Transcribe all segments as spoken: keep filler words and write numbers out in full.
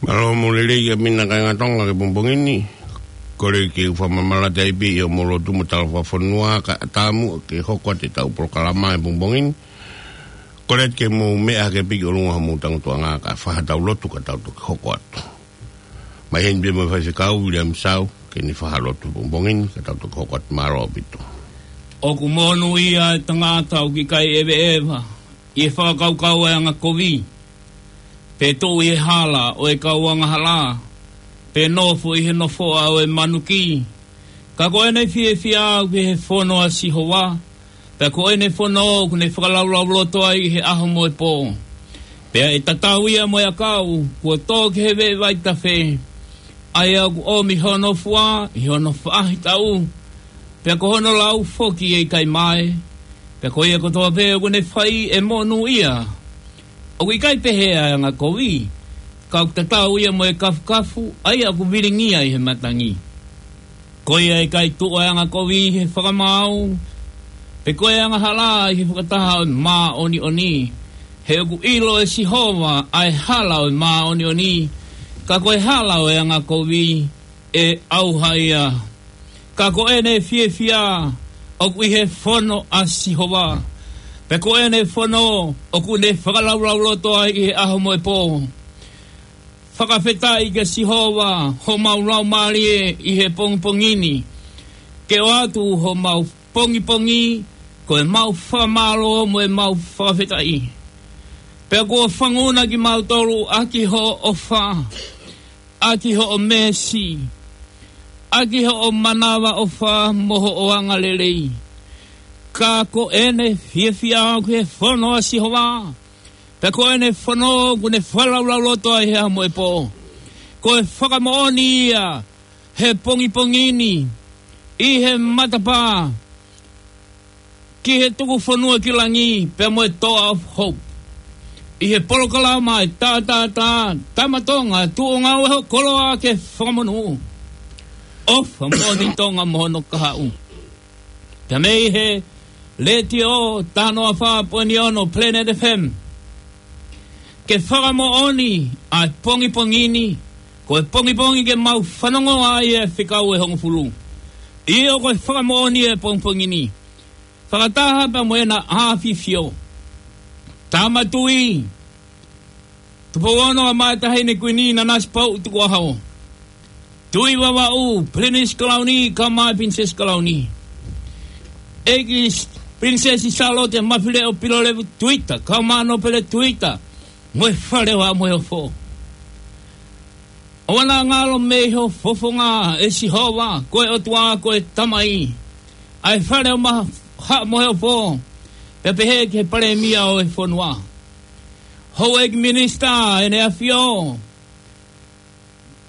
Mālō mo e lelei ʻa e kāinga Tonga ki he pongipongi ni. Kole ke u fakamaʻalaʻala atu pē ʻi hoʻomou lotu mo e tala fakafonua kae ʻatā muʻa ke hoko atu ʻetau polokalama he pongipongi ni. Kole ke mou meʻa hake pē ki ʻolunga hoʻomou tangutuʻanga kae fai haʻatau lotu ka tau toki hoko atu. Mai heni pē mo e faifekau Viliami Sau ke ne fai ha lotu he pongipongi ni ka tau toki hoko atu. Mālō ʻaupito. ʻOku monūʻia e tangata ʻoku ʻikai ʻeveʻeva ʻi he fakakaukau ʻa e angakovi, pe tuʻu ʻi he hala ʻo e kau angahala, pe nofo ʻi he nofoʻa ʻo e manuki. Ka ko ʻene fiefia ʻoku ʻi he fono ʻa Sihova, pea ko ʻene fono ʻoku ne fakalaulauloto ai ʻi he ʻaho mo e pō. Pea ʻe tatau ia mo e ʻakau kuo tō ki he veʻe vaitafe, ʻa ia ʻoku ʻomi hono fua ʻi hono faʻahitaʻu, taʻu, pea ko hono lau foki ʻe ʻikai mae. Pea ko ia kotoa pē ʻoku ne fai ʻe monūʻia. ʻOku ʻikai pehē ʻa e angakovi, ka ʻoku tatau ia mo e kafukafu ʻa ia ʻoku vilingia ʻi he matangi. Ko ia ʻe ʻikai tuʻu ʻa e angakovi ʻi he fakamaau, pe ko e angahala ʻi he fakataha ʻo e māʻoniʻoni. He ʻoku ʻilo ʻe Sihova ʻa e hala ʻo e māʻoniʻoni, ka ko e hala ʻo e angakovi ʻe ʻauha ia. Ka ko ʻene fiefia ʻoku ʻi he fono ʻa Sihova, pea ko ʻene fono ʻoku ne fakalaulauloto ai ʻi he ʻaho mo e pō. Fakafetaʻi kia Sihova homau laumālie ʻi he pongipongi ni, ke ʻoatu homau pongipongi ko ʻemau fakamālō mo ʻemau fakafetaʻi. Pea kuo fanguna kimautolu ʻaki hoʻo ʻofa, ʻaki hoʻo meesi, ʻaki hoʻo manavaʻofa mo hoʻo angalelei. Ka ko ʻene fiefia ʻoku ʻi he fono ʻa Sihova, pea ko ʻene fono ʻoku ne fakalaulauloto ai he ʻaho mo e pō. Ko e fakamoʻoni ia he pongipongi ni ʻi he matapā ki he tuku fonua ki langi pea mo e Toa of Hope. ʻI he polokalama ʻa e Tātātā, Tama Tonga, tuʻu ʻo ngāue ho koloa ke fakamonū. ʻOfa moʻoni Tonga mo hono kahaʻu. Pea mei he Letiō taha noa fā poini ono Planet F M. Ke fakamoʻoni ʻa e pongipongi ni, ko e pongipongi ke mau fanongo ai e fekau ʻe hongofulu. ʻIo, ko e fakamoʻoni e pongipongi ni. Fakataha pea mo ʻena ʻAfifio Tama Tuʻi Tupou Ono, ʻa e Taʻahine Kuini Nanasipauʻu Tukuʻaho. Tuʻi Vavaʻu Pilinisi Kalauni, kae ʻumaʻā e Pilinisesi Kalauni. ʻEiki Pilinisesi Sālote Mafileʻo Pilolevu Tuita, kae ʻumaʻā Nōpele Tuita, mo e Fale ʻo Haʻa Moheofo. ʻOua naʻa ngalo mei ho fofonga ʻe Sihova, ko e ʻOtua, ko e Tamai, ʻa e Fale ʻo Ma-, Haʻa Moheofo, pea pehē ki he Palēmia ʻo e fonua, Houʻeiki Minisitā ʻEne ʻAfio,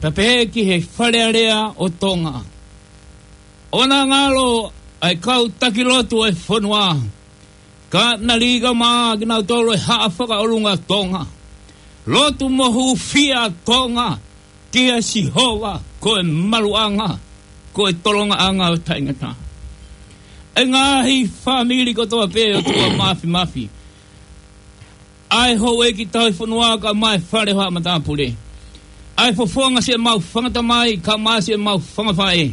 pea pehē ki he Fale Alea ʻo Tonga. ʻOua naʻa ngalo ʻa e kau taki lotu ʻo e fonua, ka naʻe lī kae ʻumaʻā kinautolu ʻe Haʻa Fakaʻolunga Tonga. Lotu mo hūfia Tonga kia Sihova, ko e maluʻanga, ko e tolongaʻanga ʻo taʻengata. ʻE ngaahi fāmili kotoa pē ʻOtua Māfimafi, ʻa e houʻeiki tauhi fonua kae ʻumaʻā e Fale ʻo Haʻa Matāpule, ʻa e fofonga siʻemau fanga tamai kae ʻumaʻā siʻemau fanga faʻē,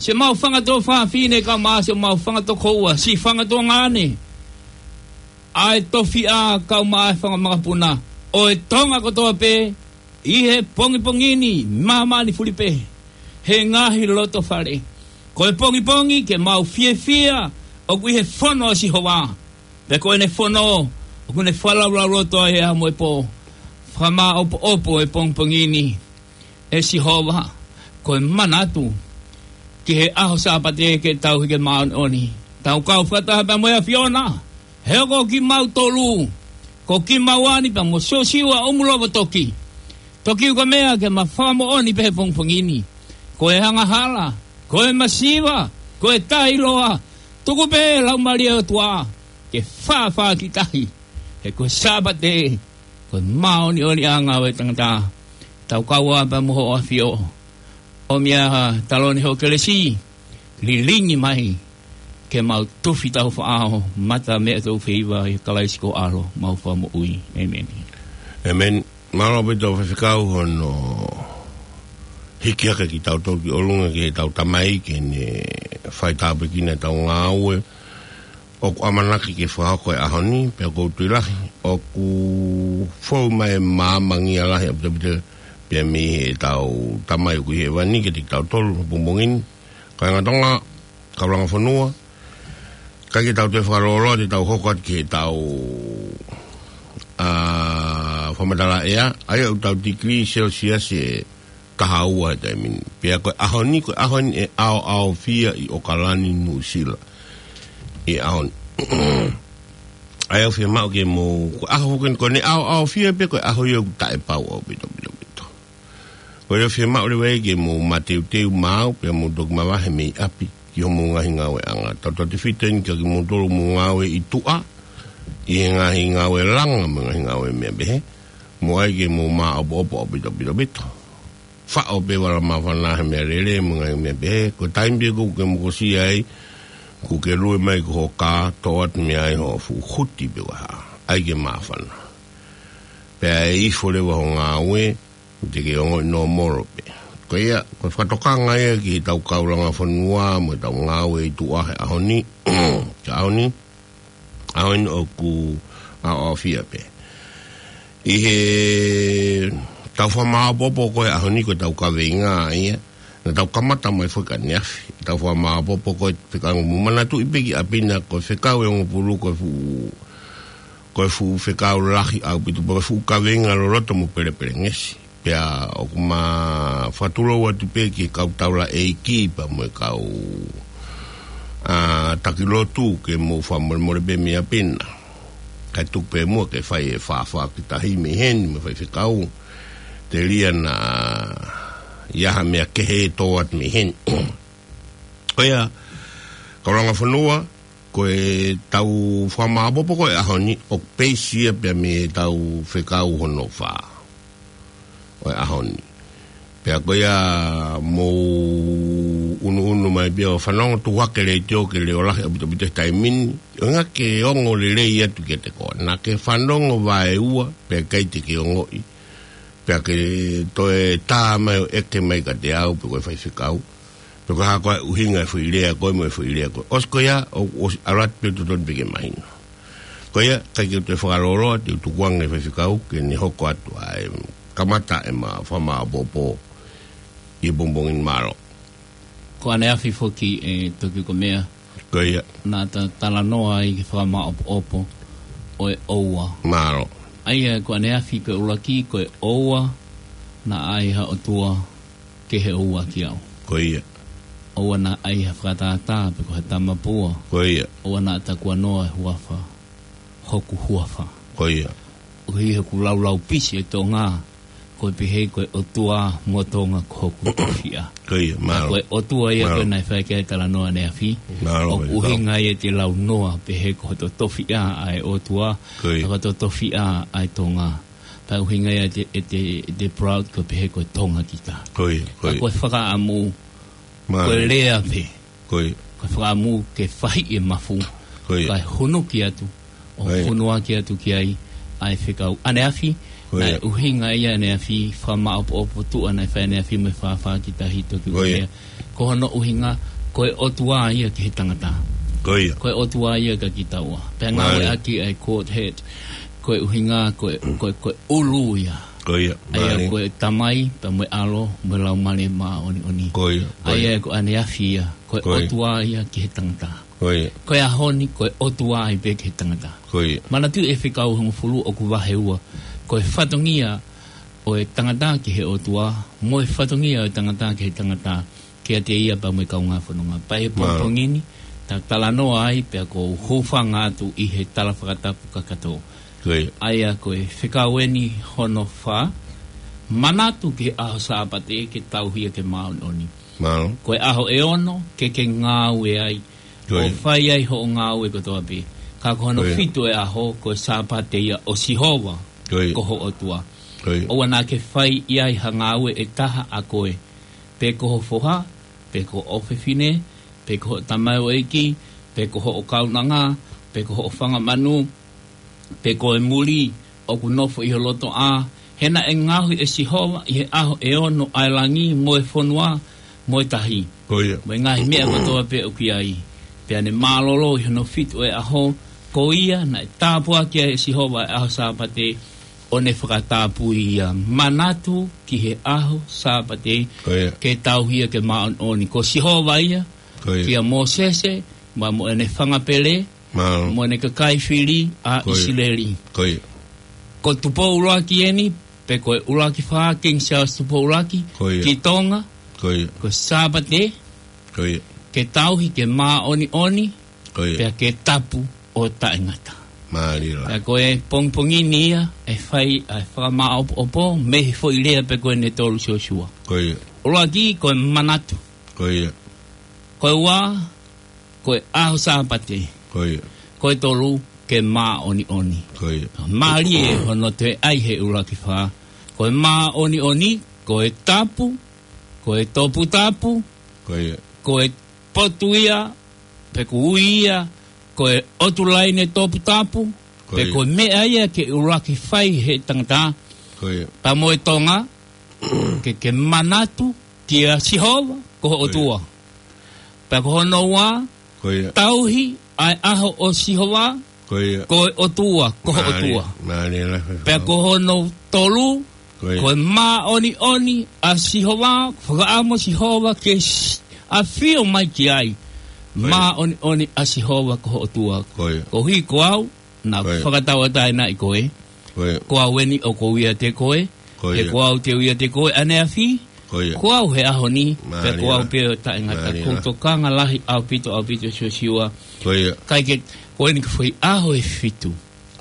siʻemau fanga tuofāfine kae ʻumaʻā siʻemau fanga tokoua, siʻi fanga tuongaʻane, ʻa e tofiʻa kae ʻumaʻā e fanga makapuna ʻo e Tonga kotoa pē ʻi he pongipongi ni, māmani fuli pē he ngaahi loto fale. Ko e pongipongi ke mau fiefia ʻoku ʻi he fono ʻa Sihova, pea ko ʻene fono ʻoku ne fakalaulauloto ai he ʻaho mo e pō. Fakamāʻopoʻopo e pongipongi ni ʻe Sihova, ko e manatu ki he ʻaho Sāpate ke tauhi ke māʻoniʻoni. Tau kau fakataha pea mo e ʻAfiona, he ko kimautolu, ko kimaua ni pea mo Siosiua ʻUmulovo Toki, Toki Ukamea, ke ma fakamoʻoni pē he pongipongi ni, ko e angahala, ko e masiva, ko e taʻeʻiloa, tuku pē Laumālie ʻo e ʻOtua ke fāfā ki tahi, he ko e Sāpate ko e māʻoniʻoniʻanga ʻo e tangata. Tau kau ā pea mo Hoʻo ʻAfio, ʻomi ā ha taloni hoʻo kelesi, lilingi mai ke mau tufi tau faʻao mata meʻa tau feiva ʻia Kalaisi ko ho ʻAlo, mau Fakamoʻui. ʻĒmeni. ʻĒmeni. Mālō ʻaupito Faifekau hono hiki hake kitautolu ki ʻolunga ki heʻetau Tamai ke ne faitāpuekina ʻetau ngāue. ʻOku ʻamanaki ke fakahoko he ʻaho ni, pea ʻoku ou tui lahi ʻoku fou mai e māmani lahi ʻaupito pea mei heʻetau Tamai ʻoku ʻi hēvani kiate kitautolu he pongipongi ni. Kāinga Tonga, kau langa fonua, ʻikai ke tau toe fakalōloa, te tau hoko atu ki heʻetau, ā, fakamatala ʻea, ʻa ia ʻoku tau tikilī Celsius ʻe taha ua he taimi ni. Pea ko e ʻaho ni, ko e ʻaho ni ʻe ʻaoʻaofia ʻi ʻOkalani, Nuʻusila. ʻI he ʻaho ni. ʻA ia ʻoku fiemaʻu ke mou, ko e ʻaho foki ni, ko ʻene ʻaoʻaofia pē, ko e ʻaho ia ʻoku taʻepau ʻaupito, ʻaupito, ʻaupito. Ko ia ʻoku fiemaʻu leva ia ke mou mateuteu maʻu, pea mou toki mavahe mei ʻapi ki hoʻomou ngaahi ngāueʻanga. Tautautefito eni kia kimoutolu ʻoku mou ngāue ʻi tuʻa, ʻi he ngaahi ngāue langa mo e ngaahi ngāue meʻa pehē, mou ʻai ke mou māʻopoʻopo ʻaupito, ʻaupito, ʻaupito. Faʻo pē vala māfana he meʻalele mo e ngaahi meʻa pehē, ko e taimi pē ʻoku ke mokosia ai, ʻoku ke lue mai ki ho kā, toʻo atu mei ai hoʻo fuʻu huti pe ko e hā. ʻAi ke māfana. Pea ʻe ifo leva hoʻo ngāue, te ke ongoʻi nōmolo pē. Ko ia, ko e fakatokanga ia ki heʻetau kau langa fonua mo ʻetau ngāue ʻi tuʻa he ʻaho ni, he ʻaho ni, ʻaho ni ʻoku ʻaoʻaofia pē. ʻI heʻetau fakamāʻopoʻopo ko e ʻaho ni ko ʻetau kaveinga ia, naʻa tau kamata mai foki ʻaneafi. ʻEtau fakamāʻopoʻopo ko e fekau, mou manatuʻi pē ki ʻapi na ko e fekau ʻe hongofulu ko e fuʻu, ko e fuʻu fekau lahi ʻaupito, ko e fuʻu kaveinga loloto mo pelepelengesi. Pea ʻoku ma fakatulou atu pē ki he kau taulaʻeiki pea mo e kau, ā, taki lotu ke mou fakamolemole pē mei ʻapi na. Kae tuku pē muʻa ke fai e fāfā ki tahi mei heni mo e faifekau. Telia naʻa ʻi ai ha meʻa kehe ʻe tō atu mei heni. Ko ia, kau langa fonua, ko ʻetau fakamāʻopoʻopo ko e ʻaho ni, ʻoku peisi ia pea mei heʻetau fekau hono fā ʻo e ʻaho ni. Pea ko ia mou unuunu mai pea ʻo fanongo tuʻu hake letiō ke leʻo lahi ʻaupito, ʻaupito he taimi ni. ʻUhinga ke ongo lelei atu kiate koe. Naʻa ke fanongo vaeua, pea ʻikai te ke ongoʻi. Pea ke toe tā mai ʻo ʻeke mai kiate au, pe ko e faifekau. Pe ko e hā koā e ʻuhinga e foʻi lea ko ē mo e foʻi lea ko ē. ʻOsi ko ia, ʻo, ʻosi ʻalu atu pē totonu pē ke mahino. Ko ia, ʻikai ke u toe fakalōloa, te u tukuange faifekau, ke ne hoko atu ʻa e kamata ʻema fakamāʻopoʻopo ʻi he pongipongi ni. Mālō. Ko ʻaneafi foki ʻe Toki Komea. Ko ia. Naʻa ta talanoa ai ki he fakamāʻopoʻopo ʻo e ʻoua. Mālō. ʻA ia ko ʻaneafi ko e ʻuluaki ko e ʻoua naʻa ʻai ha ʻotua ke he ʻoua ki au. Ko ia. ʻOua naʻa ʻai ha fakatātā pe ko ha tamapua. Ko ia. ʻOua naʻa takuanoa e huafa hoku huafa. Ko ia. ʻOku ʻi hoku laulau pisi ʻe Tonga, ko e pehē ko e ʻOtua mo Tonga ko hoku tofiʻa. Ko ia, mālō. Ko e ʻOtua ia ko ē naʻe fai ki ai e talanoa ʻaneafi. Mālō, ʻoku ʻuhinga ia ʻete launoa pehē ko hoto tofiʻa ʻa e ʻOtua, ko ia, ka ko hoto tofiʻa ʻa e Tonga. Pea ʻuhinga ia ʻete, ʻete, ʻete proud ko e pehē ko e Tonga kita. Ko ia, ko ia. Ka ko e fakaʻamu, mālō, ko e lea pē. Ko ia. Ko e fakaʻamu ke fahiʻi e mafu. Ko ia. Kae hunuki atu, ʻo, ko ia, hunuaki atu ki ai ʻa e fekau ʻaneafi. Ko ia. Naʻe ʻuhinga ia ʻaneafi, fakamāʻopoʻopo tuʻa naʻe fai ʻaneafi mo e fāfā ki tahi Toki Komea. Ko ia. Ko hono ʻuhinga, ko e ʻOtua ia ki he tangata. Ko ia. Ko e ʻOtua ia kia kitaua. Pea, mālō, ngāueʻaki ʻa e quote head. Ko e ʻuhinga, ko e, ko e, ko e ʻulu ia. Ko ia, ʻa ia, mālō, ko e Tamai, pea mo e ʻAlo, mo e Laumālie Māʻoniʻoni. Ko ia, ko ia. ʻA ia ko ʻaneafi ia, ko e, ko ia, ʻOtua ia ki he tangata. Ko ia. Ko e ʻaho ni, ko e ʻOtua ai pē ki he tangata. Ko ia. Manatuʻi e fekau hongofulu ʻoku vahe ua. Ko e fatongia ʻo e tangata ki he ʻOtua, mo e fatongia ʻo e tangata ki he tangata, kiate ia pea mo e kaungā fononga. Pea ʻi he, mālō, pongipongi ni, ta talanoa ai, pea ʻoku ou hūfanga atu ʻi he tala fakatapu kakato. Ko ia. ʻA ia ko e fekau eni hono fā, manatu ki he ʻaho Sāpate ke tauhi ia ke māʻoniʻoni. Mālō. Ko e ʻaho ʻe ono ke ke ngāue ai, ko ia, ʻo fai ai hoʻo ngāue kotoa pē. Ka ko hono, ko ia, fitu e ʻaho, ko e Sāpate ia ʻo Sihova, ko ia, ko ho ʻOtua. Ko ia. ʻOua naʻa ke fai ʻi ai ha ngāue ʻe taha ʻa koe, pe ko ho foha, pe ko ho ʻofefine, pe ko hoʻo tamaioʻeiki, pe ko hoʻo kaunanga, pe ko hoʻo fanga manu, pe ko e muli ʻoku nofo ʻi ho lotoʻā, He naʻe ngaohi ʻe Sihova ʻi he ʻaho ʻe ono ʻa e langi mo e fonua mo e tahi, Ko ia. mo e ngaahi meʻa kotoa pē ʻoku ʻi ai. Pea ne mālōlō ʻi hono fitu ʻo e ʻaho, ko ia naʻe tāpuakiʻi ai ʻe Sihova ʻa e ʻaho Sāpate, ʻo ne fakatapui ia. Manatu ki he ʻaho Sāpate, Ko ia. ke tauhi ia ke māʻoniʻoni. Ko Sihova ia, Ko ia. kia Mōsese, mo, mo ʻene fanga pele, Mālō. mo ʻene kakai fili ʻa Ko ia. ʻIsileli. Ko ia. Ko Tupou ʻUluaki eni, pe ko e ʻUluaki Fā, King Charles Tupou ʻUluaki, Ko ia. ki Tonga, Ko ia. ko Sāpate, Ko ia. ke tauhi, ke māʻoniʻoni, Ko ia. pea ke tapu ʻo taʻengata. Mālie lā. Pea ko e pongipongi ni ia, ʻe fai ʻa e fakamāʻopoʻopo, mei he foʻi lea pē ko eni ʻe tolu Siosua. Ko ia. ʻUluaki, ko e manatu. Ko ia. Ko e ua, ko e ʻaho Sāpate. Ko ia. Ko e tolu, ke māʻoniʻoni. Ko ia. Mālie hono toe ʻai he ʻUluaki Fā. Ko e māʻoniʻoni, ko e tapu, ko e toputapu, Ko ia. ko e potu ia, pe ko e ui ia, ko e ʻotu laine toputapu, Ko pe ia. ko e meʻa ia ke ʻuluaki fai he tangata, Ko ia. pea mo e Tonga, ke, ke manatu kia Sihova, ko ho Ko ia. ʻOtua. Pea ko hono ua, Ko ia. tauhi ʻa e ʻaho ʻo Sihova, Ko ia. ko e ʻOtua, ko ho Mālie, ʻOtua. mālie lā. Pea ko hono tolu, Ko ia. ko e māʻoniʻoni ʻa Sihova, fakaʻamu Sihova ke s-, ʻafio mai ki ai. Ko ia. Māʻoniʻoni ʻa Sihova ko ho ʻOtua. Ko ia. Koeʻuhi ko au, naʻa Ko ia. fakatauʻatāinaʻi koe. Ko ia. Ko au eni ʻoku ou ʻiate koe. Ko He ia. ko au te u ʻiate koe ʻaneafi. Ko ia. Ko au he ʻaho ni, Mālie pea ko au lā. pē ʻo taʻengata. Mālie Ko e lā. tokanga lahi ʻaupito, ʻaupito Siosiua. Ko ia. Kae kehe, ko eni ko e foʻi ʻaho ʻe fitu.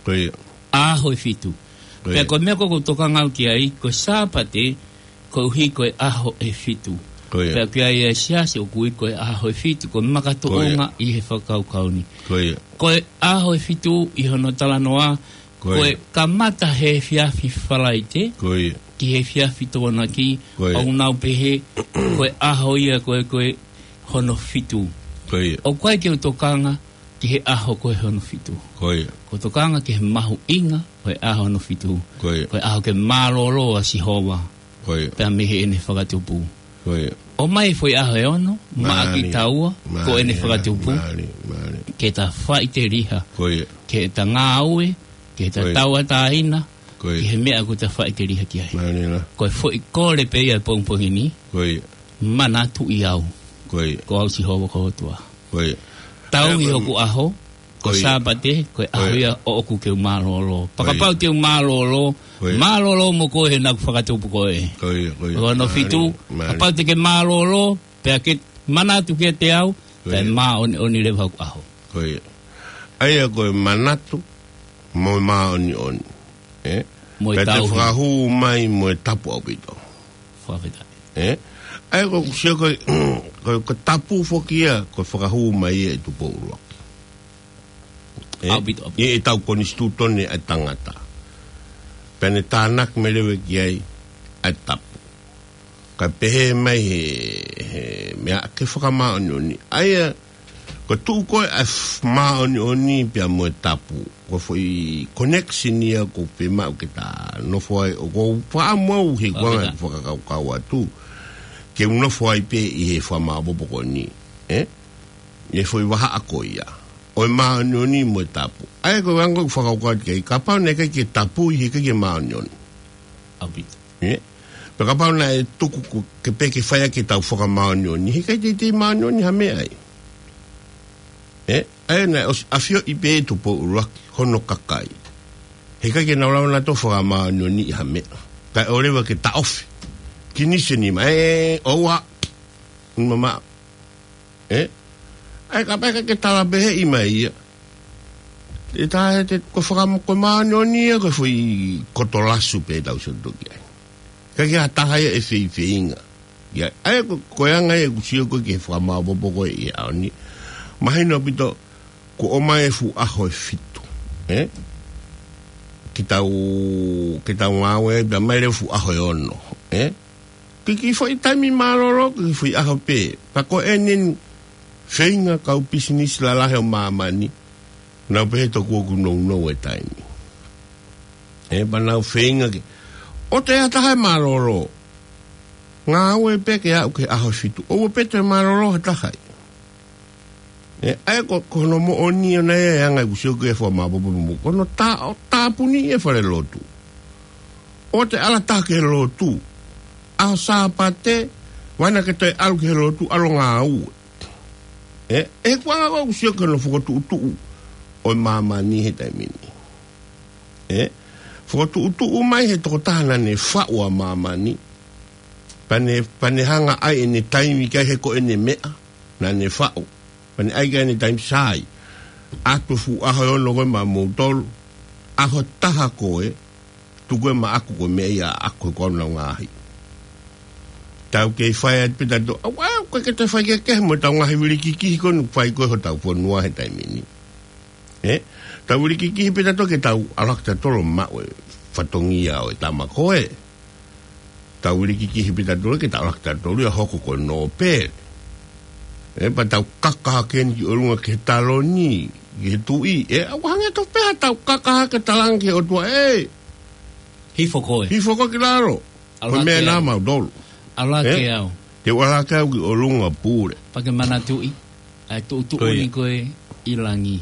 Ko ia. ʻAho ʻe fitu. Ko Pea ia. ko e meʻa ko ē ʻoku ou tokanga au ki ai, ko e Sāpate, koeʻuhi ko e ʻaho ʻe fitu. Ko ia. Pea ʻoku ʻi ai e siasi ʻoku ui ko e ʻaho ʻe fitu, ko e makatuʻunga Ko ia. ʻi he fakakaukau ni. Ko ia. Ko e ʻaho ʻe fitu ʻi hono talanoa, Ko ko e ia. kamata he efiafi Falaite, Ko ia. ki he efiafi Tokonaki, Ko ia. ʻoku nau pehē, ko e ʻaho ia ko e, ko e hono fitu. Ko ia. ʻOku ʻikai ke u tokanga ki he ʻaho ko e hono fitu. Ko ia. ʻOku ou tokanga ki he mahuʻinga ko e ʻaho hono fitu. Ko ia. Ko e ʻaho ke mālōlō ʻa Sihova. Ko ia. Pea mei heʻene fakatupu. Ko ia. ʻOmai foʻi ʻaho ʻe ono, maʻa Mālie. kitaua, ko ʻene Mālie, fakatupu. mālie, mālie. Ke ta faʻiteliha. Ko ia. Ke ta ngāue, ke ta Ko ia. tauʻatāina, Ko ia. ki he meʻa ʻoku ta faʻiteliha ki ai. Mālie lā. Ko e foʻi kole pē ia pongipongi ni, Ko ia. manatuʻi au. Ko ia. Ko au Sihova ko ho ʻOtua. Ko ia. Tauhi Ko ia. hoku ʻaho, ko Ko ia. Sāpate, ko e ʻaho Ko ia. ia ʻoʻoku ke u mālōlō. Ko ia. Kapau te u mālōlō, Ko ia. mālōlō mo koe he naʻa ku fakatupu koe. Ko ia, ko ia. Ko hono Mālie, fitu, mālie. kapau te ke mālōlō, pea ke manatu kiate au, Ko pea ia. māʻoniʻoni leva hoku ʻaho. Ko ia. ʻA ia ko e manatu, mo e māʻoniʻoni. ʻE? Mo e Pea te tauhi. fakahū mai mo e tapu ʻaupito. Fakafetaʻi. ʻE? ʻA ia ko e sio ko e, ko e, ko e tapu foki ia, ko e fakahū mai ia ʻe Tupou ʻUluaki. ʻE? ʻAupito, ʻaupito. ʻI heʻetau konisitūtone ʻa e tangata. Pea ne tānaki mai leva ki ai ʻa e tapu. Kae pehē mai he, he meʻa ke fakamāʻoniʻoni. ʻA ia, ko e tuʻu ko ē ʻa e f-, māʻoniʻoni pea mo e tapu. Ko e foʻi connection ia ʻoku ou fiemaʻu ke ta nofo ai, ʻoku ou faʻamu au he kuonga Fakafetaʻi. ʻeku fakakaukau atu. Ke u nofo ai pē ʻi he fakamaʻopoʻopo ko eni. ʻE? ʻI he foʻi vahaʻa ko ia. ʻO e māʻoniʻoni mo e tapu. ʻA ia ko e anga ʻeku fakakaukau ki ai, kapau naʻe ʻikai ke tapu ʻi he ʻikai ke māʻoniʻoni. ʻAupito. ʻE? Pea kapau naʻe tuku ko e ke pē ke fai ʻaki ʻetau fakamāʻoniʻoni, he ʻikai teitei māʻoniʻoni ha meʻa ai. ʻE? ʻA ia naʻe ʻosi ʻafioʻi pē ʻe Tupou ʻUluaki hono kakai. He ʻikai ke nau lava nautolu fakamāʻoniʻoniʻi ha meʻa. Kae ʻoua leva ke taʻofi. Kiniseni mai, ʻe, ʻoua. Mama. ʻE? ʻA ia kapau ʻe ʻikai ke tala pehē mai ia. ʻE tā he te ko e fakam-, ko e māʻoniʻoni ia, ko e foʻi koto lasu pē tau sio ki ai. ʻIkai ke ha taha ia ʻe feifeinga. ʻA ia, ʻa ia ko, ko e anga ia ʻeku sio ko ē ki he fakamaʻopoʻopo ko ē ʻi he ʻaho ni. Mahino ʻaupito, kuo ʻomai e fuʻu ʻaho ʻe fitu. ʻE? Ke tau, ke tau ngāue ai, pea mai leva e fuʻu ʻaho ʻe ono. ʻE? Ko e kiʻi foʻi taimi mālōlō, ko e kiʻi foʻi ʻaho pē. Pea ko eni feinga kau pisinisi lalahi ʻo māmani, nau pehē tokua ʻoku nounou e taimi. ʻE, pea nau feinga ke, ʻOua te ʻi ai ha taha ʻe mālōlō. Ngāue pē ke aʻu ki he ʻaho fitu. ʻOua pē te mālōlō ha taha ia. ʻE, ʻa ia ko, ko hono moʻoni ʻona ia e anga ʻeku sio ki he fakamāpopo mo. Ko hono tā, ʻo tāpuni e falelotu. ʻOua te ʻalu ha taha ki he lotu. ʻAho Sāpate, ʻoua naʻa ke toe ʻalu ki he lotu, ʻalu ʻo ngāue. ʻE, ʻe, ko e anga ʻoku ou sio ki hono fokotuʻutuʻu ʻo e māmani he taimi ni. ʻE, fokotuʻutuʻu mai he tokotaha naʻa ne faʻu ʻa māmani. Pea ne, pea ne hanga ʻai ʻene taimi ki ai he ko ʻene meʻa naʻa ne faʻu. Pea ne ʻai ki ai ʻene taimi, sai. ʻAtu fuʻu ʻaho ʻe ono ko ē maʻamoutolu. ʻAho ʻe taha ko ē, tuku ē maʻaku ko e meʻa ia ʻaʻaku he ko au naʻa ku ngaahi. Tau kei fai atu pē tautolu. ʻAua, ʻoku ʻikai ke toe fai kehekehe mo ʻetau ngaahi vilikikihi ko eni ʻoku fai ko ē hotau fonua he taimi ni. ʻE? Tau vilikikihi pē tautolu ke tau ʻalu hake tautolu ʻo maʻu e fatongia ʻo e tama ko ē. Tau vilikikihi pē tautolu ke tau ʻalu hake tautolu ia ʻo hoko ko e nōpele. ʻE, pea tau kaka hake eni ki ʻolunga ki he taloni, ki he tuʻi. ʻE, ʻoku hangē tofu pē haʻatau kaka hake talaange ki he ʻOtua, ʻe, hifo koe. Hifo koe ki lalo. ʻAlu hake au. Ko e meʻa naʻa mau tolu. ʻAlu hake au. Te u ʻalu hake au ki ʻolunga pule. Pea ke manatuʻi ʻa e tuʻutuʻuni ko ia. Ko ē ʻi langi.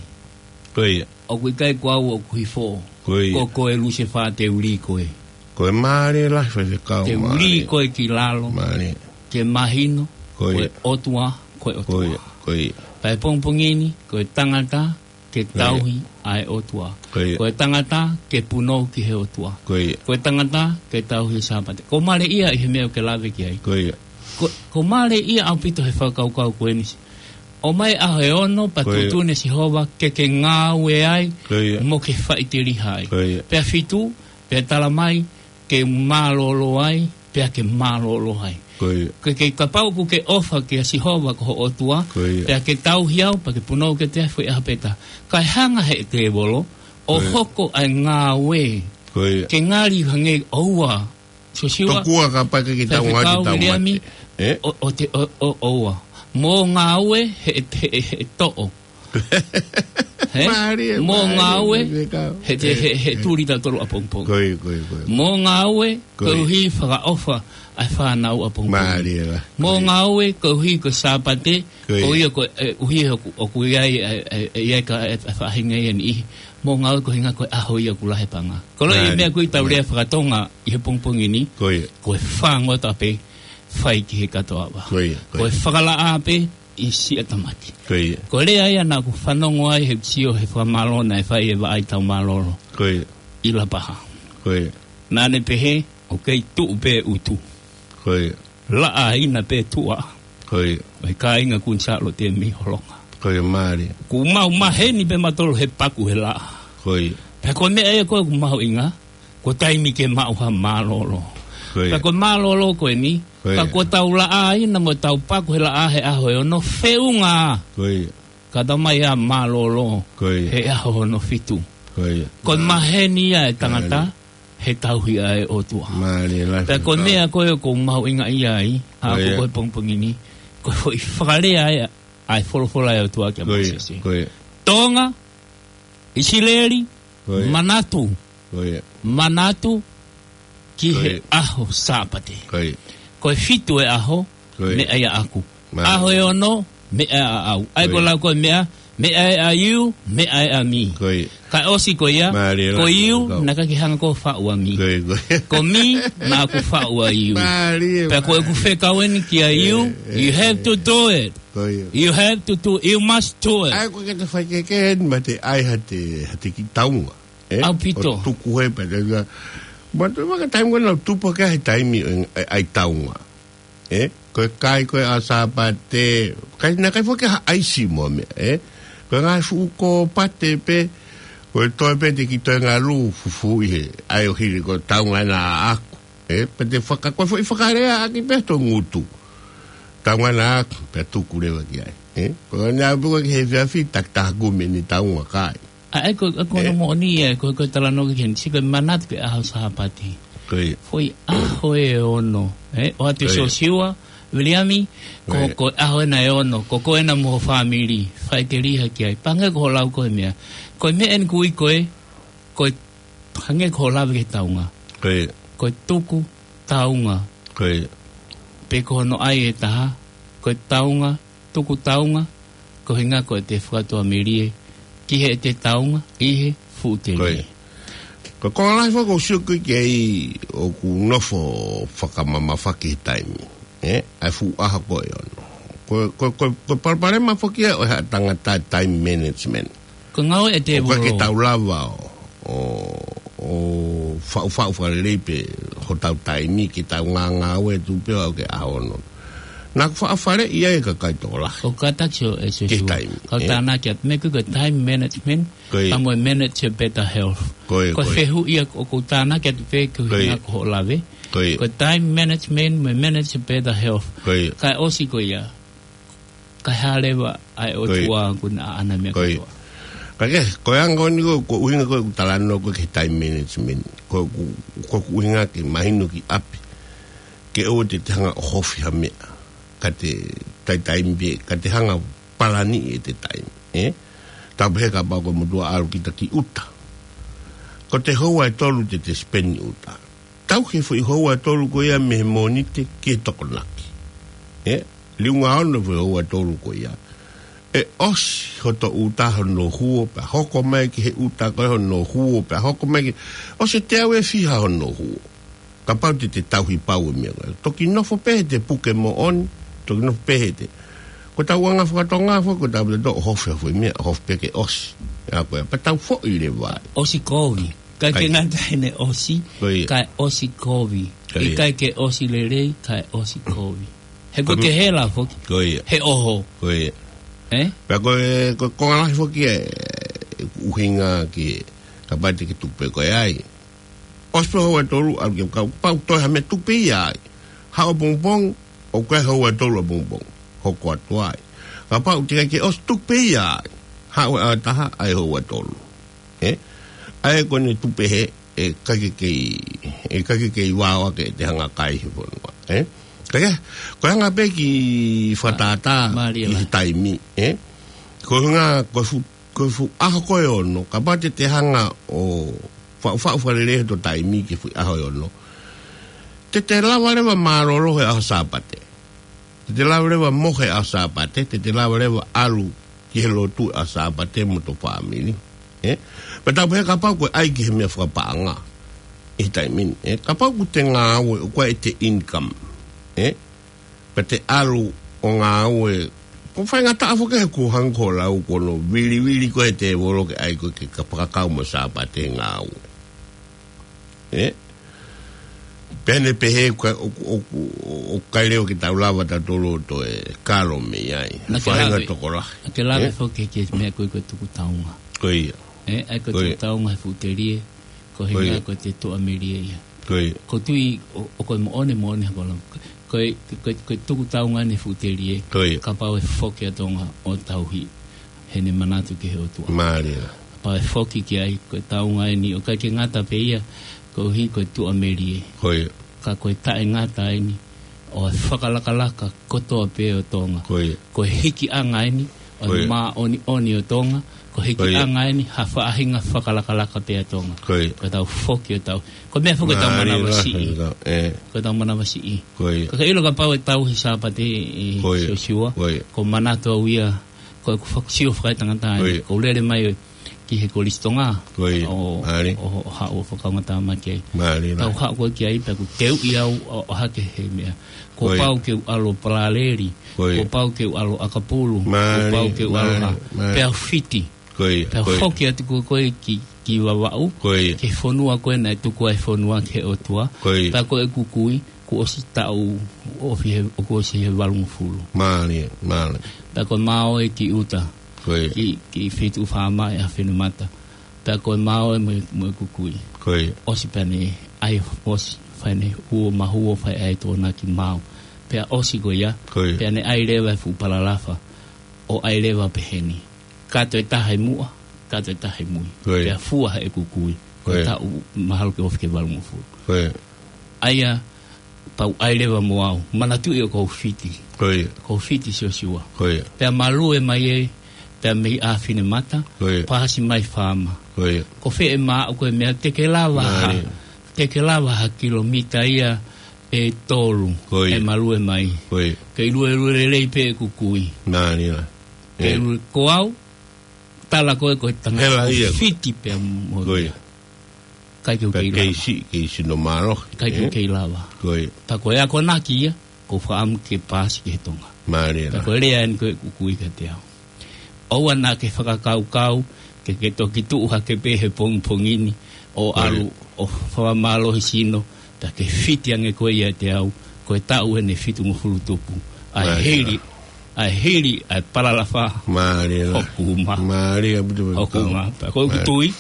Ko ia. ʻOku ʻikai ko au ʻoku hifo. Ko ia. Ko koe Lusefā, te u lī koe. Ko e mālie lahi Faifekau, mālie. Te u lī koe ki lalo. Mālie. Ke mahino, ko ia. Ko e ʻOtua, ko e ʻOtua. Ko ia, ko ia. Pea ʻi he pongipongi ni, ko e tangata, ke tauhi ʻa e ʻOtua. Ko ia. Ko e tangata ke punou ki he ʻOtua. Ko ia. Ko e tangata ke tauhi Sāpate. ʻOku mālie ia ʻi he meʻa ʻoku ke lave ki ai. Ko ia. ʻOku, ʻoku mālie ia ʻaupito he fakakaukau ko eni. ʻOmai ʻaho ʻe ono pea tuʻutuʻuni ʻe Sihova ke ke ngāue ai mo ke faʻiteliha ai. Ko ia. Pea fitu, pea tala mai, ke mālōlō ai, pea ke mālōlō ai. Ko ia. Ke, ke kapau ʻoku ke ʻofa kia Sihova ko ho ʻOtua, pea ke tauhi au, pea ke punou kiate au he foʻi ʻaho pē taha. Kae hanga he tēvolo ʻo hoko ʻa e ngāue. Ko ia. Ke ngali hangē ʻoua. Siosiua, tokua kapau ʻikai ke tau ngāue, Faifekau, te tau Viliami, mate. ʻE? ʻO, ʻo te, ʻo, ʻo, ʻoua. Mo ngāue he, he, he, he toʻo. He? Mālie, mo mālie, ngāue, Faifekau. He te, he, he tuli tautolu ʻapongipongi. Ko ia, ko ia, ko ia. Mo ngāue, ko ia. Koeʻuhi fakaʻofa ʻa e fānau ʻapongipongi. Mālie la. Mo ngāue, koeʻuhi ko e Sāpate, ko ia. Ko ia ko e, ʻuhi ʻoku, ʻoku ʻi ai, ʻe, ʻe, ʻe ʻi ai ka, ʻe, ʻe faʻahinga ia ni. Mo ngāue koeʻuhinga ko e ʻaho ia ʻoku lahi e paʻanga. Ko e meʻa ko ē ʻoku tau lea fakatonga ʻi he pongipongi ni. Ko ia. Ko e fāngota pē, fai ki he katoa ʻava. Ko ia, ko ia. Ko e fakalaʻā pē, ʻi siʻa tamaki. Ko ia. Ko e lea ia naʻa ku fanongo ai he sio he fakamālō naʻe fai ʻe Vaʻai Taumālolo. Ko ia. ʻI Lapaha. Ko ia. Naʻa ne pehē, ʻoku kei tuʻu pē ʻutu. Ko ia. Laʻā ina pē tuʻa. Ko ia. ʻO e kāinga Kuini Sālote mei Holonga. Ko ia, mālie. Kuo mau maheni pē mautolu he paku he laʻā. Ko ia. Pea ko e meʻa ia ko ē ʻoku mahuʻinga, ko e taimi ke maʻu ha mālōlō. Ko ia. Pea ko e mālōlō ko eni, ko ia. Ka ko ʻetau laʻā ina mo ʻetau paku he laʻā he ʻaho ʻe ono, feʻunga. Ko ia. Ka tau mai ʻa mālōlō, ko ia, he ʻaho hono fitu. Ko ia. Ko e maheni ia e tangata, mālie, he tauhi ʻa e ʻOtua. Mālie lahi. Pea ko e meʻa ko ē ʻoku ou mahuʻingaʻia ai, ʻa, ko ia, ko e pongipongi ni, ko e foʻi fakalea ʻa e, ʻa e folofola ʻa e ʻOtua kia Mōsese. Ko ia, ko ia. Tonga, ʻIsileli, ko ia, manatu. Ko ia. Manatu ki he, ko ia, ʻaho Sāpate. Ko ia. Ko e fitu e ʻaho, ko ia, meʻa ia ʻaʻaku. Mālie. ʻAho ʻe ono, meʻa ʻaʻau. ʻA ia ko ia, ko e lau ko e meʻa, meʻa ʻe ʻa you, meʻa ʻe ʻa me. Ko ia. Kae ʻosi ko ia, mālie, ko you, ko e kau, naʻa ke hanga ʻo faʻu ʻa me. Ko ia, ko ia. Ko me, naʻa ku faʻu ʻa you. Mālie, mālie. Pea ko ʻeku fekau eni kia you, ē, ē, you have to do it. Ko ia. You have to do, you must do it. ʻA ia ko e ke te fai ke ke eni ma te ʻai ha te, ha te kiʻi taunga. Ē? ʻAupito. ʻO tuku he pē te ka. Ma te waka taimi ko ena tupu ke he taimi ʻo e, ʻa e, ʻa e taunga. Ē? Ko e kai ko ē ʻa Sāpate. Kai, naʻa kai foki ha ʻaisi mo e meʻa. Ē? Ko e ngaahi fuʻu kōpate pē. Ko e toe pē te ki toe ngalu fufuʻi he. ʻA ia ʻo hili ko e taunga ena ʻaʻaku. Ē, pea te faka-, ko e foʻi fakalea ʻaki pē to ngutu. Taunga ena ʻaʻaku, pea tuku leva ki ai. Ē, ko e nea pē ko e ki he efiafi, takitaha kumi ni taunga kai. ʻA ia ko, ko, ē, hono moʻoni ē, ko, ko e talanoa ki heni, sio ko e manatu ki he ʻaho Sāpate. Ko ia. Foʻi ʻaho ʻe ono. Ē, ʻoatu ē, ko ia, Siosiua, Viliami, ko, ko ia, ko e ʻaho ena ʻe ono, ko koe ena mo ho fāmili, faʻiteliha ki ai. Pea hangē ko hoʻo lau ko e meʻa. Ko e meʻa eni ʻoku ui ko e, ko e hangē ko hoʻo lave ki he taunga. Ko ia. ko e tuku taunga. Ko ia. Pe ko hono ʻai ʻe taha, ko e taunga, tuku taunga, ko e ʻuhinga ko ʻete fakatuʻamelie ki heʻete taunga ʻi he fuʻu telie. Ko ia. Ko e konga lahi foki ʻoku ou sio ki ai ʻoku nofo fakamamafa ki he taimi. Ē, ʻa e fuʻu ʻaho ko ē ʻoku nofo. Ko, ko, ko, ko e palopalema foki ia ʻo e haʻa tangata time management. Ko e ngāue ʻa e tēvolo. ʻOku ʻikai ke tau lava ʻo, ʻo, ʻo faʻufaʻu fakalelei pē hotau taimi ke tau ngāngāue atu pē ʻo aʻu ki he ʻaho ono. Naʻa ku faʻa faleʻi ai e kakai tokolahi. ʻOku kātaki ʻo e Ki he Siosiua. Taimi. Kau Ē? Tānaki atu. Meʻa ko e time management, Ko ia. pea mo e manage your better health. Ko ia, Ko e ko ia. fehuʻi ia ʻoku ou tānaki atu pē ki he Ko ia. ʻuhinga ko hoʻo lave. Ko ia. Ko e time management, mo e manage your better health. Ko ia. Kae ʻosi ko ia. Kae hā leva ʻa e Ko ia. ʻOtua ʻoku ne ʻaʻana meʻa Ko ia. kotoa. Ka ke, ko e anga ʻeni ko, ko e ʻuhinga ko ē ʻoku talanoa ko ē ki he time management. Ko, ko, ko e ʻuhinga ke mahino ki ʻapi. Ke ʻoua te te hanga ʻo hofi ha meʻa. Ka te tai taimi pē, ka te hanga palani ʻete taimi. Ē? Tau pehē kapau ko e motuʻa ʻalu kita ki ʻuta. Ko e houa ʻe tolu te te spend ʻi ʻuta. Tau ki he foʻi houa ʻe tolu ko ia mei he Mōnite ki he Tokonaki. Ē? Liunga ono foʻi houa ʻe tolu ko ia. ʻE ʻosi hoto ʻuta hono huo pea hoko mai ki he ʻuta ko ē hono huo pea hoko mai ki. ʻOsi ʻe teau ʻe fiha hono huo. Kapau te te tauhi pau e meʻa ko ē. Toki nofo pē he te puke moʻoni, toki nofo pē he te. Ko ʻetau anga fakatonga foki, ko ʻetau pita tō ʻo hofi ha foʻi meʻa, hofi pē ke ʻosi. ʻA ko ē, pea tau foʻi leva ai. ʻOsi kovi. Kae ke Kae. ngata ʻene ʻosi, Ko ia. kae ʻosi kovi. Ko ia. ʻIkai ke ʻosi lelei, kae ʻosi kovi. He ko Ko e ke hela foki. Ko ia. He ʻoho. Ko ia. Ē? Pea ko e, ko e konga lahi foki e ʻuhinga ki he, kapau te ke tuku pē ko ē ai. ʻOsi pē houa ʻe tolu, ʻalu ke kau, pau toe ha meʻa tuku pē ia ai. Haʻu ʻapongipongi, ʻoku ʻi ai houa ʻe tolu ʻapongipongi. Hoko atu ai. Kapau te ke ʻosi tuku pē ia ai. Haʻu ʻaho ʻe taha, ʻai houa ʻe tolu. Ē? ʻA ia ko ʻene tupe he, ʻe ʻikai ke kei, ʻe ʻikai ke kei vao ake te hanga kai he fonua. Ē? Ka ke, ko e hanga pē ki fakatātā Mālie ʻi he lahi. taimi. Ē? Ko e ʻuhinga, ko e fu-, ko e fuʻu ʻaho ko ē ʻe ono, kapau te te hanga ʻo faʻufaʻu fakalelei hoto taimi ki he fuʻu ʻaho ʻe ono. Te te lava leva mālōlō he ʻaho Sāpate. Te te lava leva mohe he ʻaho Sāpate, te te lava leva ʻalu ki he lotu he ʻaho Sāpate mo hoto fāmili. Ē? Pea tau pehē kapau ko e ʻai ki he meʻa fakapaʻanga. ʻI he taimi ni, ē? Kapau ʻoku te ngāue, ʻoku ʻi ai ʻete income. Ē? Pea te ʻalu ʻo ngāue. Ko e faingataʻa foki he kuo hangē ko e lau ko hono vilivili ko ē ʻe he tēvolo ke ʻai ko ē ke ka fakakau mo e Sāpate he ngāue. Ē? Pea ne pehē ʻoku, ʻoku, ʻoku, ʻoku ʻikai leva ke tau lava tautolu ʻo toe kalo mei ai. Naʻa ke Faʻahinga lave. tokolahi. Naʻa ke lave Ē? foki ki he meʻa ko ē ko e tuku taunga. Ko ia. Ē, ʻa ia ko e Ko ia. tuku taunga he fuʻu telie, ko e Ko ia. ʻuhinga ko ʻete tuʻamelie ia. Ko ia. ʻOku ou tui ʻo, ʻoku moʻoni, moʻoni hako lau. Ko e, ko e, ko e tuku taunga ʻeni he fuʻu telie. Ko ia. Kapau ʻe foki ʻa Tonga ʻo tauhi heʻene manatu ki he ʻOtua. Mālie. Kapau ʻe foki ki ai, ko e taunga ʻeni ʻoku ʻikai ke ngata pē ia, koeʻuhi ko e tuʻamelie. Ko ia. Ka ko e taʻengata ʻeni ʻo e fakalakalaka kotoa pē ʻo Tonga. Ko ia. Ko e hikiʻanga ʻeni ʻo e Ko ia. māʻoniʻoni ʻo Tonga. Ko e Ko ia. hikiʻanga ʻeni ha faʻahinga fakalakalaka pē ʻa Tonga. Ko ia. Ko ʻetau foki ʻo tau. Ko e meʻa foki ʻetau Mālie manavasiʻi. lahi, ē. Ko ʻetau manavasiʻi. Ko ia. Ka ke ʻilo kapau ʻe tauhi Sāpate ʻe Ko ia. Siosiua. Ko ia. ʻOku ou manatu au ia, ko ʻeku fak-, sio fakaetangata ai. Ko ia. ʻOku ou lele mai ki he Kolisi Tonga. Ko ia. ʻO, Mālie. ʻo, ʻo haʻu ʻo fakaongo tāmaki ai. Mālie Tau lahi. haʻu ko ē ki ai pea ʻoku teuʻi au ʻo, ʻo hake he meʻa. Kuo Ko ia. pau ke u ʻalu ʻo Palaleli. Ko ia. Kuo pau ke u ʻalu ʻo ʻAkapulu. Kuo Mālie, pau ke u ʻalu ʻo mālie, ha. mālie. Pea u fiti. Ko ia, Pea ko ia. foki atu ko ē ko ē ki, ki Vavaʻu. Ko ia. Ki he fonua ko ē naʻe tuku ai e fonua ki he ʻOtua. Ko ia. Pea ko ʻeku kui, kuo ʻosi taʻu ofi he, ʻoku ʻosi he valungofulu. Mālie, mālie. Pea ko e maʻu ē ki ʻuta. Ko ia. Ki, ki Feituʻu Fāma ʻe ʻa Finemata. Pea ko e maʻu ē mo, mo ʻeku kui. Ko ia. ʻOsi pea ne ʻai ʻosi, fai ʻene huo mahuo fai ʻa e Tokonaki maʻu. Pea ʻosi ko ia. Ko ia. Pea ne ʻai leva e fuʻu palalafa. ʻO ʻai leva peheni. Kato ʻe taha ʻi muʻa, kato ʻe taha ʻi mui. Ko ia. Pea fua heʻeku kui. Ko Ko ia. taʻu mahalo ke ofi ki he valungofulu. Ko ia. ʻA ia, pau ʻai leva mo au. Manatuʻi ʻoku ou fiti. Ko ia. ʻOku ou fiti Siosiua. Ko ia. Pea malue mai ē, pea mei ʻa Finemata, Ko ia. pasi mai Fāma. Ko ia. Ko fē ʻe maʻu ko e meʻa te ke lava ha. Mālie. te ke lava ha kilomita ia ʻe tolu, Ko ia. ʻe malue mai. Ko ia. Ke lue lue lelei pē ʻeku kui. Mālie lā. Ke ʻE. lue ko au, tala ko ē ko e tangata Hela ia. fiti pē mo Ko ia. ʻIkai ke u Pea kei kei lava. si, kei sino mālohi. ʻIkai ke ʻE. kei lava. Ko ia. Pea ko e akonaki ia, ʻoku ou fakaʻamu ke paasi ki he Tonga. Mālie lā. Pea ko e lea eni ko ē ʻeku kui kiate au. ʻOua naʻa ke fakakaukau, ke ke toki tuʻu hake pē he pongipongi ni, ʻo Ko ia. ʻalu, ʻo fakamālohi sino, pea ke fiti ange koe ʻiate au, ko e taʻu eni ʻe fitungofulu tupu. ʻA e Mālie lā. hili, ʻa e hili, ʻa e palalafa Mālie lā. ʻoku uma. Mālie ʻaupito ʻOku uma. Pea ko ʻeku Mālie. tui,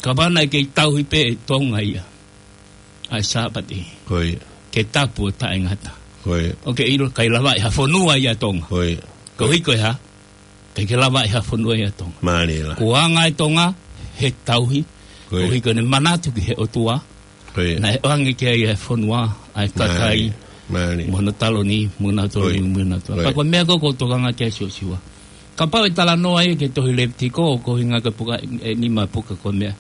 kapau naʻe kei tauhi pē ʻe Tonga ia ʻa e Sāpate. Ko ia. Ke tapu ʻo taʻengata. Ko ia. ʻO ke ʻilo ʻikai lava ʻe ha fonua ia Tonga. Ko ia. Koeʻuhi ko e hā? ʻIkai ke lava ʻe ha fonua ia Tonga. Mālie lā. Ko e anga ʻa e Tonga, he tauhi. Ko ia. Koeʻuhi ko ʻene manatu ki he ʻOtua. Ko ia. Naʻe ʻoange ki ai ʻa e fonua, ʻa e kakai. Mālie. Mālie. Mo hono taloni, mo hono taloni, Ko ia. mo hono taloni. Ko ia. Pea ko e meʻa ko ē ʻoku ou tokanga ki ai Siosiua. Kapau ʻe talanoa ia ki he tohi Levitiko, ko e ʻuhinga ki he puka, ʻe nima puka ko e meʻa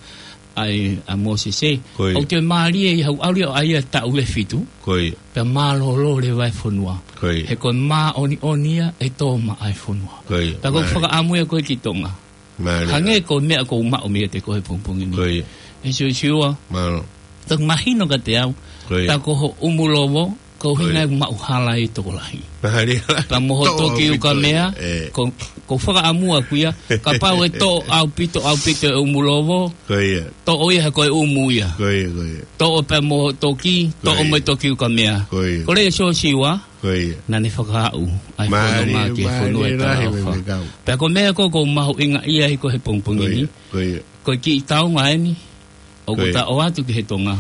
ʻa e, ʻa Mōsese. Ko ia. ʻOku toe mālie ia ʻi haʻu ʻalu ia ʻo ʻai ʻa e taʻu ʻe fitu. Ko ia. Pea mālōlō leva e fonua. Ko ia. He ko e māʻoniʻoni ia ʻe tō maʻa e fonua. Ko ia. Pea ʻoku ou Mālie. fakaʻamu ia ko ē ki Tonga. Mālie. Hangē ko e meʻa ʻoku ou maʻu meiate koe he pongipongi ni. Ko ia. ʻE Siosiua. Mālō. Toki mahino kiate au. Ko ia. Tā ko ho ʻumulovo, ko e ʻuhinga Ko ia. ʻeku maʻu hala ʻi he tokolahi. Mālie. Pea mo ho Toʻo toki ʻaupito ukamea, ʻe. ko, ʻoku ou fakaʻamu ʻaʻaku ia, kapau ʻe toʻo ʻaupito, ʻaupito e ʻumulovo, Ko ia. toʻo ia he ko e ʻumu ia. Ko ia, ko ia. Toʻo pea mo ho toki, Ko toʻo ia. mo e toki ukamea. Ko ia. Ko e lea ʻa Siosiua, Ko ia. naʻa ne fakaaʻu ʻa e Mālie, fononga ki he fonua mālie ʻe lahi talaʻofa. Faifekau. Pea ko e meʻa ko ē ʻoku ou mahuʻingaʻia ai ko ē he pongipongi Ko ni. ia, ko ia. Ko e kiʻi taonga eni, ʻoku Ko ia. ta ʻoatu ki he Tonga.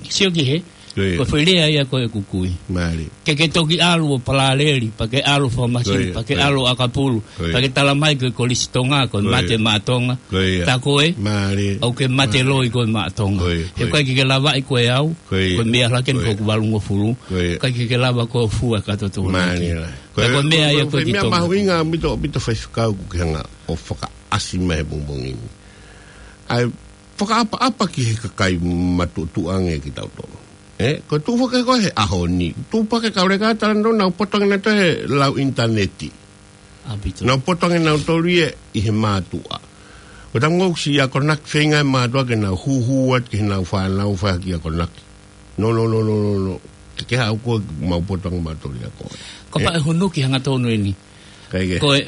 Sio ki he, Ko ia. ko e foʻi lea ia ko ē ʻeku kui. Mālie. Ke ke toki ʻalu ʻo palaleli, pea ke ʻalu fakamasi, Ko ia, pea ke ko ia. ʻalu ʻakapulu, Ko ia. pea ke tala mai ko e Kolisi ʻo Tonga, ko e Ko ia. mate maʻa Tonga. Ko ia. Tā ko ē, Mālie. ʻoku ke mate Mālie. loi koe maʻa Tonga. Ko ia, He ko ia. ʻikai ke ke lavaʻi koe au, Ko ia. ko e meʻa laka eni Ko ia. ko ʻeku valungofulu. Ko ia. ʻIkai ke ke lava koe ʻo fua e kato tō Mālie lā. Ko e meʻa ia ko ē ki Tonga. Meʻa mahuʻinga ʻaupito, ʻaupito Faifekau ʻoku ke hanga ʻo fakaʻasi mai he pongipongi ni. ʻA e fakaʻapaʻapa ki he kakai matuʻotuʻa ange kitautolu. ʻE, ko e tuʻu foki ko ē he ʻaho ni. Tuʻu foki e kau leka talanoa nau poto ange nautolu he lau ʻinitaneti. ʻAupito. Nau poto ange nautolu ia ʻi he mātuʻa. ʻOku tau ngou si akonaki feinga e mātuʻa ke nau hūhū atu ki heʻenau fānau fai ha kiʻi akonaki. No, no, no, no, no, no. Ke ke haʻu koe mau poto ange mautolu ia ko ē. Ko e pā ʻe hunu ki hangatonu eni. ʻIkai ke. Ko e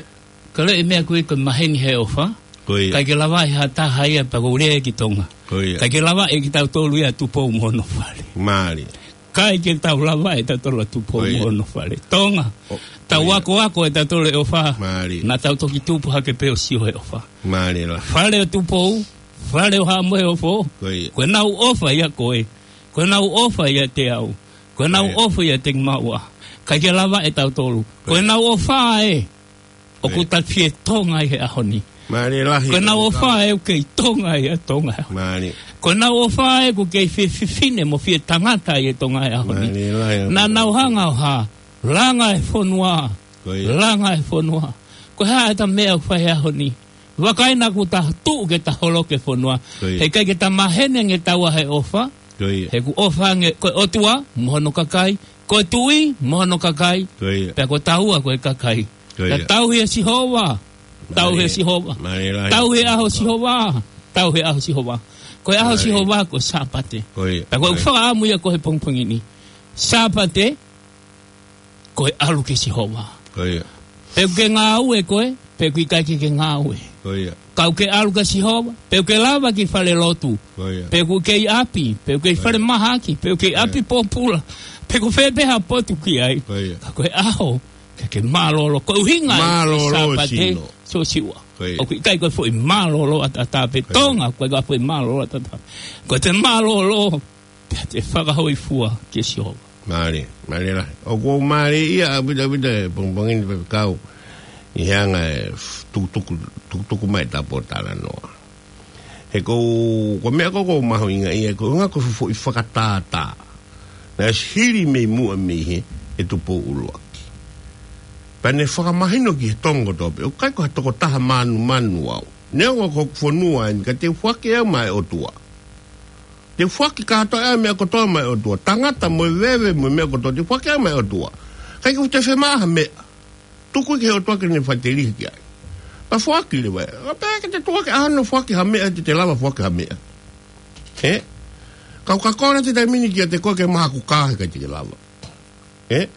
Ka lele e meʻa ko ē ko e maheni he ʻofa. Ko ia. ʻIkai ke lava ʻe ha taha ia pea ko e lea ki Tonga. Ko ia. ʻIkai ke lava ʻe kitautolu ia Tupou mo hono fale. Mālie. ʻIkai ke tau lava ʻe tautolu ʻa Tupou Ko ia. mo hono fale. Tonga. ʻO, Tau ko ia. akoako ʻe tautolu e ʻofa. Mālie. Naʻa tau toki tupu hake pē ʻo sio he ʻofa. Mālie lā. Fale ʻo Tupou. Fale ʻo Haʻa Moheofo. Ko ia. Ko ʻenau ʻofa ia ko ē. Ko ʻenau ʻofa ʻiate au. Ko ʻenau Ko ia. ʻofa ʻiate kimaua. ʻIkai ke lava ʻe tautolu. Ko Ko ia. ʻenau ʻofa ē. ʻOku Ko ia. ta fie Tonga ʻi he ʻaho ni. Mālie lahi Ko ʻenau ʻofa ʻoku kei Tonga ʻi he Tonga. Mālie. Ko ʻenau ʻofa ē ʻoku kei fie fefine mo fie tangata ʻi he Tonga ʻi he ʻaho ni. Mālie lahi Naʻa nau hanga ʻo hā. Langa e fonua. Ko ia. Langa e fonua. Ko e hā ʻeta meʻa ʻoku fai he ʻaho ni. Vakai naʻa kuo ta tuʻu ke ta holoki e fonua. Ko ia. He ʻikai ke ta maheni ange taua he ʻofa. Ko ia. He ʻoku ʻofa ange ko e ʻOtua mo hono kakai. Ko e tuʻi mo hono kakai. Ko ia. Pea ko taua ko e kakai. Ko ia. Pea tauhi ʻa Sihova. Tauhi ʻa Mālie. Sihova. Mālie lahi. Tauhi e ʻaho ʻo Sihova. Tauhi e ʻaho ʻo Sihova. Ko e ʻaho ʻo Mālie. Sihova ko e Sāpate. Ko ia. Pea ko e Mālie. fakaʻamu ia ko ē he pongipongi ni. Sāpate, ko e ʻalu kia Sihova. Ko ia. Pe ʻoku ke ngāue koe, pe ʻoku ʻikai ke ke ngāue. Ko ia. Ka ʻoku ke ʻalu kia Sihova, pe ʻoku ke lava ki falelotu. Ko ia. Pe ʻoku ke ʻi ʻapi, pe ʻoku ke ʻi Ko ia. falemahaki, pe ʻoku ke ʻi Ko ia. ʻapi pōpula. Pe ko fē pē ha potu ʻoku ke ʻi ai. Ko ia. Ka ko e ʻaho, ke ke mālōlō. Ko e ʻuhinga e Mālōlō Sāpate, sino. Siosiua. Ko ia. ʻOku ʻikai ko e foʻi mālōlō ʻataʻatā pē Ko ia. Tonga, ʻoku ʻikai ko e foʻi mālōlō ʻataʻatā. Ko e te mālōlō, pea te fakahōifua kia Sihova. Mālie, mālie lahi. ʻOku ou mālieʻia ʻaupito ʻaupito he pongipongi ni Faifekau. ʻI he anga e f-, tukutuku, tukutuku mai ʻeta pōtalanoa. He ko, ko e meʻa ko ē ʻoku ou mahuʻingaʻia, ko e ʻuhinga ko e foʻi fakatātā. Naʻe ʻosi hili mei muʻa mei he, ʻe Tupou ʻUluaki. Pea ne fakamahino ki he Tonga kotoa pē, ʻoku ʻikai ko ha tokotaha manumanu au. Neongo ko hoku fonua eni, ka te u foaki au maʻa e ʻOtua. Te u foaki kātoa e meʻa kotoa maʻa e ʻOtua. Tangata mo e veve mo e meʻa kotoa te u foaki maʻa e ʻOtua. ʻIkai ke u toe fiemaʻu ha meʻa. Tuku ki he ʻOtua ke ne faʻiteliha ki ai. Pea foaki leva. ʻO pehē ke te tuʻu ki he ʻaho ni ʻo foaki ha meʻa, te te lava foaki ha meʻa. Ē? Kau ka kole atu he taimi ni kiate koe ke maʻu haku kā he ʻikai te ke lava. Ē?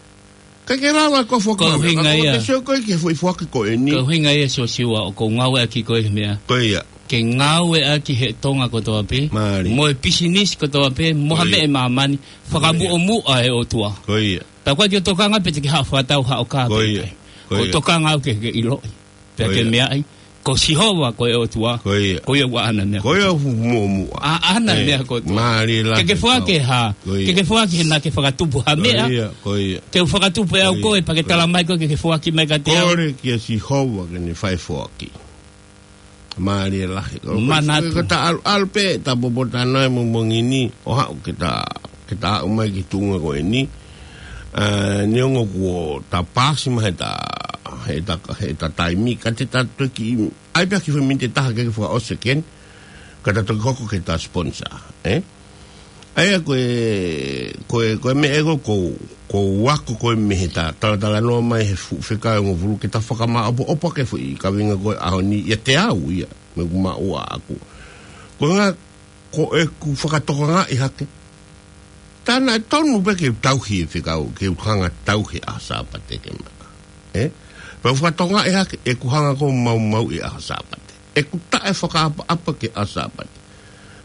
ʻIkai ke lava ko e foaki Ko e ha meʻa. ʻuhinga Ka ia. te sio koe ki he foʻi foaki ko eni. Ko e ʻuhinga ia Siosiua ʻoku ou ngāueʻaki ko e meʻa. Ko ia. Ke ngāueʻaki he Tonga kotoa pē. Mālie. Mo e pisinisi kotoa pē. Mo ha Ko ia. meʻa ʻi māmani. Fakamuʻomuʻa e ʻOtua. Ko ia. Pea ko e ke tokanga pē te ke haʻu fakatau haʻo kā Ko pē ia. kai. Ko Ko ia. tokanga au ke ke ʻiloʻi. Pea Ko ke ia. meaʻi. Ko Sihova ko e ʻOtua. Ko ia. Ko ia ʻoku ʻaʻana meʻa Ko ia kotoa. ʻoku muʻomuʻa. ʻAʻana Ē, meʻa kotoa. mālie lahi Ke ke foaki kau. ha. Ko ia. Ke ke foaki he naʻa ke fakatupu ha Ko meʻa. ia, ko ia. Ke u fakatupu ʻe au Ko ia, koe, pea ke ko ia. tala mai koe ke ke foaki mai kiate au. Kole kia Sihova ke ne fai foaki. Mālie lahi. Manatu. Ko e taʻalu, ʻalu pē, ta popo tano e mo mongini, ʻo haʻu ke ta, ke ta haʻu mai ki he tuʻunga ko eni. Ā, neongo kuo ta pasi mai he ta, he ta, he ta taimi, ka te ta toki, ʻai pē ha kiʻi foʻi miniti ʻe taha ke ke fakaʻosi ʻeni, ka ta toki hoko ki he ta sponsor, ē? ʻA ia ko e, ko e, ko e meʻa ʻoku ou, ʻoku ou ako ko e meʻa he ta, talatalanoa mai he fuʻu fekau ʻe hongofulu ke ta fakamaʻopoʻopo ki he foʻi kaveinga ko e ʻaho ni ʻiate au ia, mo ʻeku maʻu ʻaʻaku. Ko e ʻuhinga ko ʻeku fakatokangaʻi hake. Tā naʻe tonu pē ke u tauhi e fekau, ke u hanga tauhi e ʻaho Sāpate ke maʻa. Ē? Pea u fakatokangaʻi hake, ʻeku hanga ko e maumauʻi e ʻaho Sāpate. ʻEku taʻefakaʻapaʻapa ki he ʻaho Sāpate.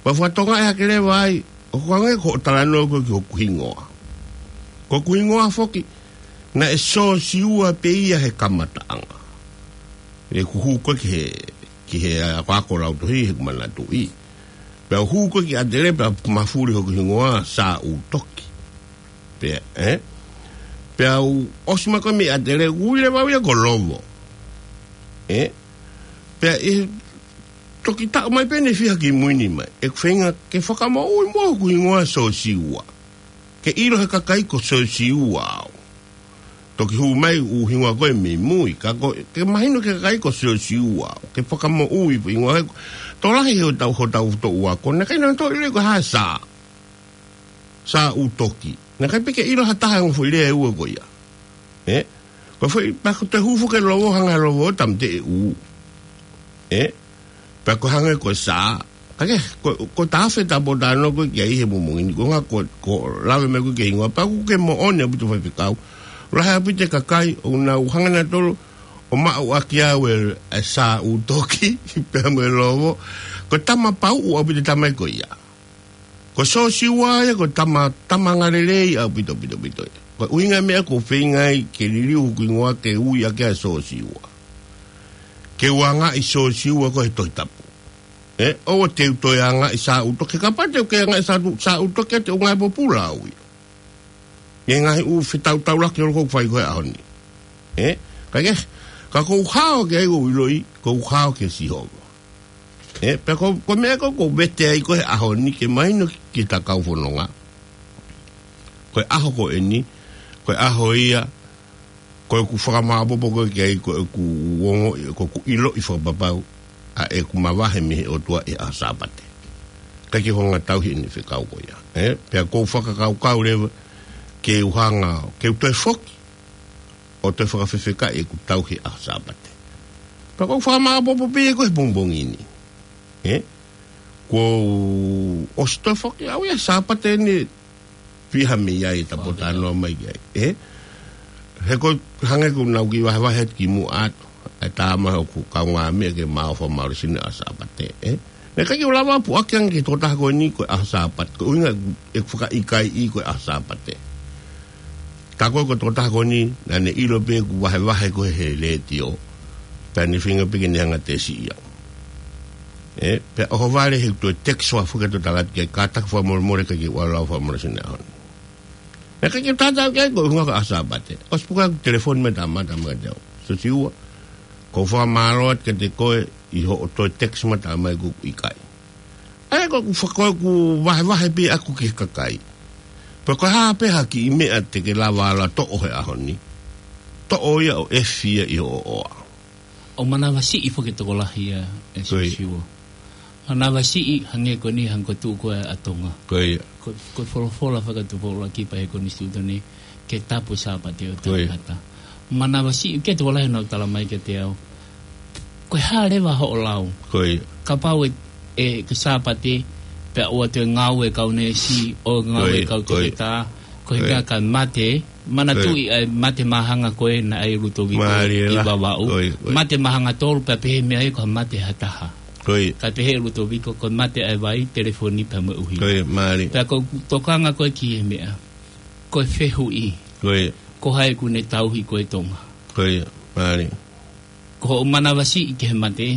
Pea u fakatokangaʻi hake leva ai, ʻoku hangē ko hoʻo talanoa ko ē ki hoku hingoa. Ko hoku hingoa foki, naʻe Siosiua pē ia he kamataʻanga. ʻEku hū ko ē ki he, ki he akoako lautohi heʻeku manatuʻi. Pea u hū ko ē ki ʻAtele pea mafuli hoku hingoa Sāʻūtoki. Pea, ē? Pea u ʻosi mai ko ē mei ʻAtele, ui leva au ia ko Lovo. Ē? Pea ʻi he toki taʻu mai pē ʻe fiha kimui ni mai, ʻeku feinga ke fakamoʻui muʻa hoku hingoa Siosiua. Ke ʻilo he kakai ko Siosiua au. Toki hū mai ʻū hingoa ko ē mei mui, ka ko, ke mahino ki he kakai ko Siosiua au. Ke fakamoʻui hingoa he, tokolahi he hotau, hotau toʻu ako, naʻe ʻikai naʻa nau toe ʻilo ko e hā e Sā. Sāʻūtoki. Naʻe ʻikai pē ke ʻilo ha taha e ongo foʻi lea ʻe ua ko ia. Ē? Ko e foʻi, pea ko e hū foki e Lovo, hanga Lovo ʻo tāmateʻi e ʻū. Ē? Pea ko e hangē ko e Sā. Ka ke, ko, ko e tafe ta popo tano ko ē ki ai he mongini. Ko e ʻuhinga ko, ko e lave mai ko ē ki he hingoa. Pea ʻoku ke moʻoni ʻaupito faifekau. Lahi ʻaupito e kakai, ʻoku nau hanga nautolu ʻo maʻu ʻaki au e, e Sāʻūtoki, pea mo e Lovo. Ko e tama pauʻu ʻaupito e tama ko ia. Ko Siosiua ia, ko e tama, tama angalelei ʻaupito, pito, pito ia. Ko e ʻuhinga e meʻa ʻoku ou feinga ai ke liliu hoku hingoa ke ui ʻaki ʻa Siosiua. Ke u angaʻi Siosiua ko ē he Tohi Tapu. Ē, ʻoua te u toe angaʻi Sāʻūtoki, kapau te u ke angaʻi Sāʻū-, Sāʻūtoki ʻa te u ngaahi pōpula au ia. ʻI he ngaahi ʻū fetautaulaki ʻoku ou fai ko ē he ʻaho ni. Ē, ka ke, ka ʻoku ou hao ki ai ʻoku ou ʻiloʻi, ʻoku ou hao kia Sihova. Ē, pea ko, ko e meʻa ko ē ʻoku ou vete ai ko ē he ʻaho ni ke mahino ki he ta kau fononga. Ko e ʻaho ko eni, ko e ʻaho ia, ko ʻeku fakamaʻopoʻopo ko ē ki ai, ko ʻeku ongoʻi, ko ʻeku ʻiloʻi fakapapau, ʻa ʻeku mavahe mei he ʻOtua ʻi he ʻaho Sāpate. ʻIkai ke u hanga tauhi ʻene fekau ko ia. Ē, pea ʻoku ou fakakaukau leva, ke u hanga, ke u toe foki, ʻo toe fakafefekaʻi ʻeku tauhi ʻaho Sāpate. Pea ʻoku ou fakamaʻopoʻopo pē ia ko ē he pongipongi ni. Ē? Kuo u ʻosi toe foki au ia Sāpate ni fiha mei ai ta popo tano mai ki ai. Ē? He ko e hangē ʻoku nau kiʻi vahevahe atu kimuʻa atu. ʻE tā mai hoku kaungāmeʻa ke ma ō fakamālohisino ʻaho Sāpate. Ē? Naʻe ʻikai ke u lava puʻaki ange ki he tokotaha ko eni ko e ʻaho Sāpate. Ko e ʻuhinga ʻeku fakaʻikaiʻi ko e ʻaho Sāpate. Ka ko e, ko e tokotaha ko eni, naʻa ne ʻilo pē ʻeku vahevahe ko ē he letiō. Pea ne feinga pē ke ne hanga tesiʻi au. Ē, pea ʻohovale he toe text ua foki atu ʻo tala atu ke kātaki fakamolemole ka ʻikai ke u ʻalu au fakamālohisino he ʻaho ni. Naʻe ʻikai ke u tatau ki ai ko e ʻuhinga ko e ʻaho Sāpate. ʻOsi puka ʻeku telefoni mai tama, tama kiate au. Siosiua, ʻoku ou fakamālō atu kiate koe ʻi hoʻo toe text mai tala mai ʻoku ʻikai. ʻA ia ko ʻeku faka-, ko ʻeku vahevahe pē ʻaku ki he kakai. Pea ko e hā pē ha kiʻi meʻa te ke lava ʻo toʻo he ʻaho ni. Toʻo ia ʻo ʻefi ia ʻi hoʻo ʻoa. ʻO manavasiʻi foki e tokolahi ia ʻe Ko ia. Siosiua. Manavasiʻi, hangē ko eni, hangē ko e tuʻu ko ē ʻa Tonga. Ko ia. Ko, ko e folofola fakatupu ʻuluaki pē he konisitūtone ke tapu Sāpate ʻo e tangata. Manavasiʻi, ke tuʻu lahi nau tala mai kiate au. Ko e hā leva hoʻo lau? Ko ia. Kapau ʻe, ʻe, ko e Sāpate, pea ʻoua toe ngāue kau neesi, ʻoua ngāue kau toketā, ko e meʻa ka mate, manatuʻi ʻa e mate māhanga ko ē naʻe ʻai ʻe Lutoviko ʻi Vavaʻu. Mate māhanga tolu pea pehē mei ai ko e mate ha taha. Ko ia. Ka pehē ʻe Lutoviko ko e mate ʻa e vai, telefoni pea mo e ʻuhinga. Ko ia, mālie. Pea ko e tokanga ko ē ki he meʻa. Ko e fehuʻi. Ko ia. Ko hai ʻoku ne tauhi ko ē Tonga? Ko ia, mālie. Ko hoʻo manavasiʻi ki he mate,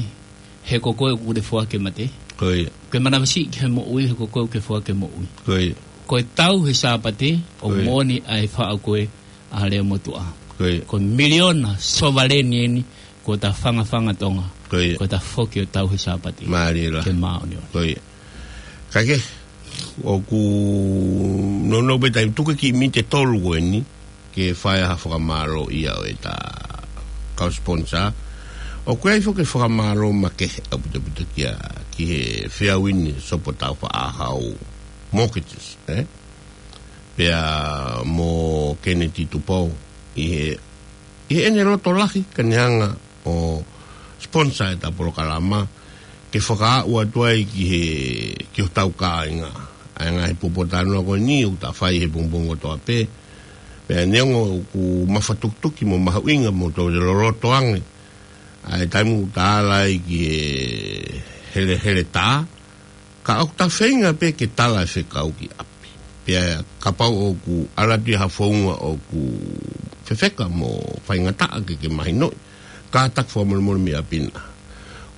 he ko koe ʻoku ke foaki e mate. Ko ia. Ko e manavasiʻi ki he moʻui, he ko koe ʻoku ke foaki e moʻui. Ko ia. Ko e tau he Sāpate, ʻoku moʻoni ʻa e faʻu ko ē ʻa Leamotuʻa. Ko ia. Ko e miliona sovaleni eni, ko ʻeta fangafanga Tonga. Ko ia. Ko ʻeta foki ʻo tau he Sāpate. Mālie lahi. Ke māʻoniʻoni. Ko ia. Kae kehe, ʻoku nounou pē taimi, tuku e kiʻi miniti ʻe tolu ko eni, ke fai ha fakamālō ia ʻo ʻeta kau sponsor. ʻOku ʻi ai foki e fakamālō makehe ʻaupito ʻaupito kia, ki he Feauini Sopo Taufaʻāhau Mortgages, ē? Pea mo Keneti Tupou ʻi he, ʻi heʻene loto lahi ke ne hanga ʻo sponsor ʻeta polokalama, ke fakaaʻu atu ai ki he, ki hotau kāinga. ʻA e ngaahi pōpoaki talanoa ko eni ʻoku ta fai he pongipongi kotoa pē. Pea neongo ʻoku mafatukituki mo mahuʻinga mo toe loloto ange ʻa e taimi ʻoku ta ala ai ki he heleheletā, ka ʻoku ta feinga pē ke tala e fekau ki ʻapi. Pea kapau ʻoku ʻalu atu ia ha founga ʻoku fefeka mo faingataʻa ke ke mahinoʻi, kātaki fakamolemole mei ʻapi na.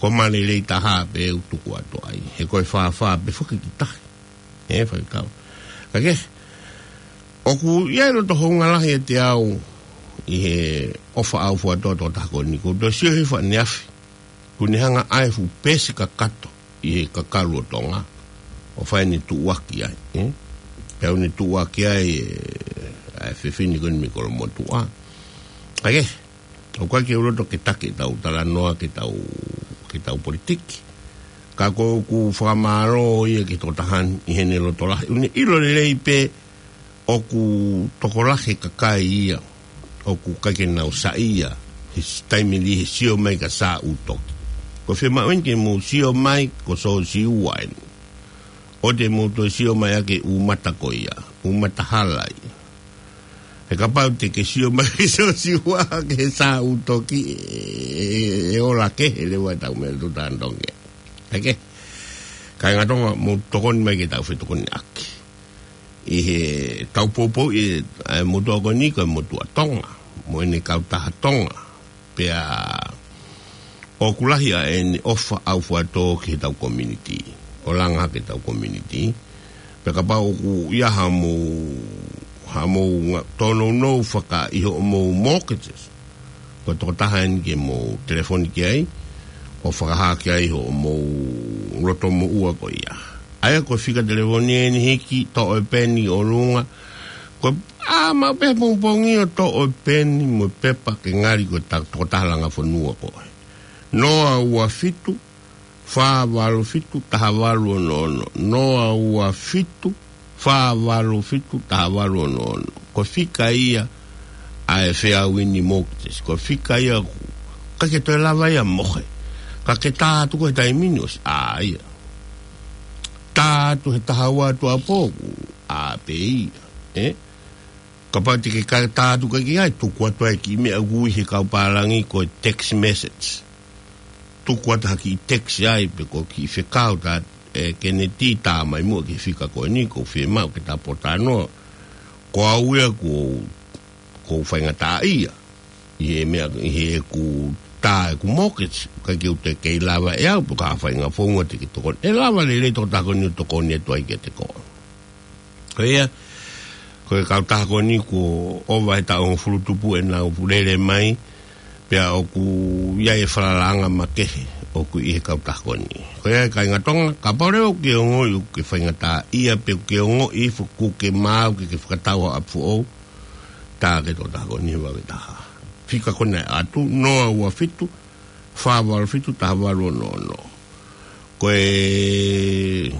Ko e mālie lelei taha pē ʻoku tuku atu ai. He ko e fāfā pē foki ki tahi. Ē, faikau. Kae kehe, ʻoku ʻi ai e loto hounga lahi ʻiate au ʻi he ʻofa ʻaufuatō ʻa e tokotaha ko eni, ʻoku ou toe sio he faʻahinga ʻaho ni, kuo ne hanga ʻo ʻai e fuʻu peesi kakato ʻi he kakalu ʻo Tonga, ʻo fai ʻene tuʻuaki ai, ē? Pea ʻoku ne tuʻuaki ai e, ʻa e fefine ko eni mei Kolomotuʻa. Kae kehe, ʻoku ʻikai ke u loto ke taki ʻetau talanoa ki heʻetau, ki heʻetau politiki. Ka ʻoku ou fakamālō ia ki he tokotaha ni ʻi heʻene loto lahi. ʻOku ne ʻilo lelei pē ʻoku tokolahi e kakai ia ʻoku ʻikai ke nau saiʻia he s-, taimi lahi he sio mai kia Sā ʻUtoki. Ko e fiemaʻu eni ke mou sio mai ko Siosiua eni. ʻOua te mou toe sio mai ʻaki e ʻū mata ko ia, ʻū mata hala ia. He kapau te ke sio mai kia Siosiua, kia Sā ʻUtoki, ʻe, ʻe, ʻe ola kehe leva ʻetau meʻa tuʻutāmaki. Kae kehe, kāinga Tonga, mou tokoni mai ke tau fetokoniʻaki ʻi heʻetau poupouʻi ʻa e motuʻa ko eni ko e motuʻa Tonga, mo ʻene kautaha Tonga. Pea ʻoku lahi ʻa ʻene ʻofa ʻaufuatō ki heʻetau community, ʻo langa hake ʻetau community. Pea kapau ʻoku ʻi ai haʻamou, haʻamou nga-, tōnounou faka ʻi hoʻomou mortgages, ko e tokotaha eni ke mou telefoni ki ai, ʻo fakahā ki ai hoʻomou loto moʻua ko ia. ʻA ia ko e fika telefoni eni, hiki, toʻo e peni ʻolunga. Ko e, ʻā, maʻu pē pongipongi ʻo toʻo e peni mo e pepa ke ngali ko e ta-, tokotaha langa fonua ko ē. Noa ua fitu, fā valu fitu, taha valu ono ono. Noa ua fitu, fā valu fitu, taha valu ono ono. Ko e fika ia ʻa e Feauini Mortgages. Ko e fika ia ʻoku ʻikai ke toe lava ia ʻo mohe. Ka ke tā atu ko e taimi ni ʻosi, ʻā ia. Tā atu he taha ua atu ʻapō, ʻā pē ia. Ē? Kapau te ke ka-, tā atu ʻikai ke ʻi ai, tuku atu ai e kiʻi meʻa ʻoku ui he kau pālangi ko e text message. Tuku atu ha kiʻi text ai, pe ko e kiʻi fekau tā, ē, Keneti, tā mai muʻa ki he fika ko eni, ʻoku ou fiemaʻu ke ta pōtalanoa. Ko au ia ʻoku, ʻoku ou faingataʻaʻia ʻi he meʻa, ʻi heʻeku tā ʻeku mortgage, ʻikai ke u toe kei lava ʻe au, pe ko ha faʻahinga founga te ke tokoni. ʻE lava lelei e tokotaha ko eni ʻo tokoni atu ai kiate koe. Ko ia, ko e kautaha ko eni kuo ʻova he taʻu hongofulu tupu ʻenau lele mai, pea ʻoku ʻi ai e falalaʻanga makehe ʻoku ʻi he kautaha ko eni. Ko ia, kāinga Tonga, kapau leva ʻoku ke ongoʻi ʻoku ke faingataʻaʻia, pe ʻoku ke ongoʻi foki ʻoku ke maau ke ke fakatau ha ʻapi foʻou, tā ki he tokotaha ko eni he vave taha. Fika ko ena ʻe ʻatu, noa ua fitu, fā valu fitu, taha valu ono ono. Ko e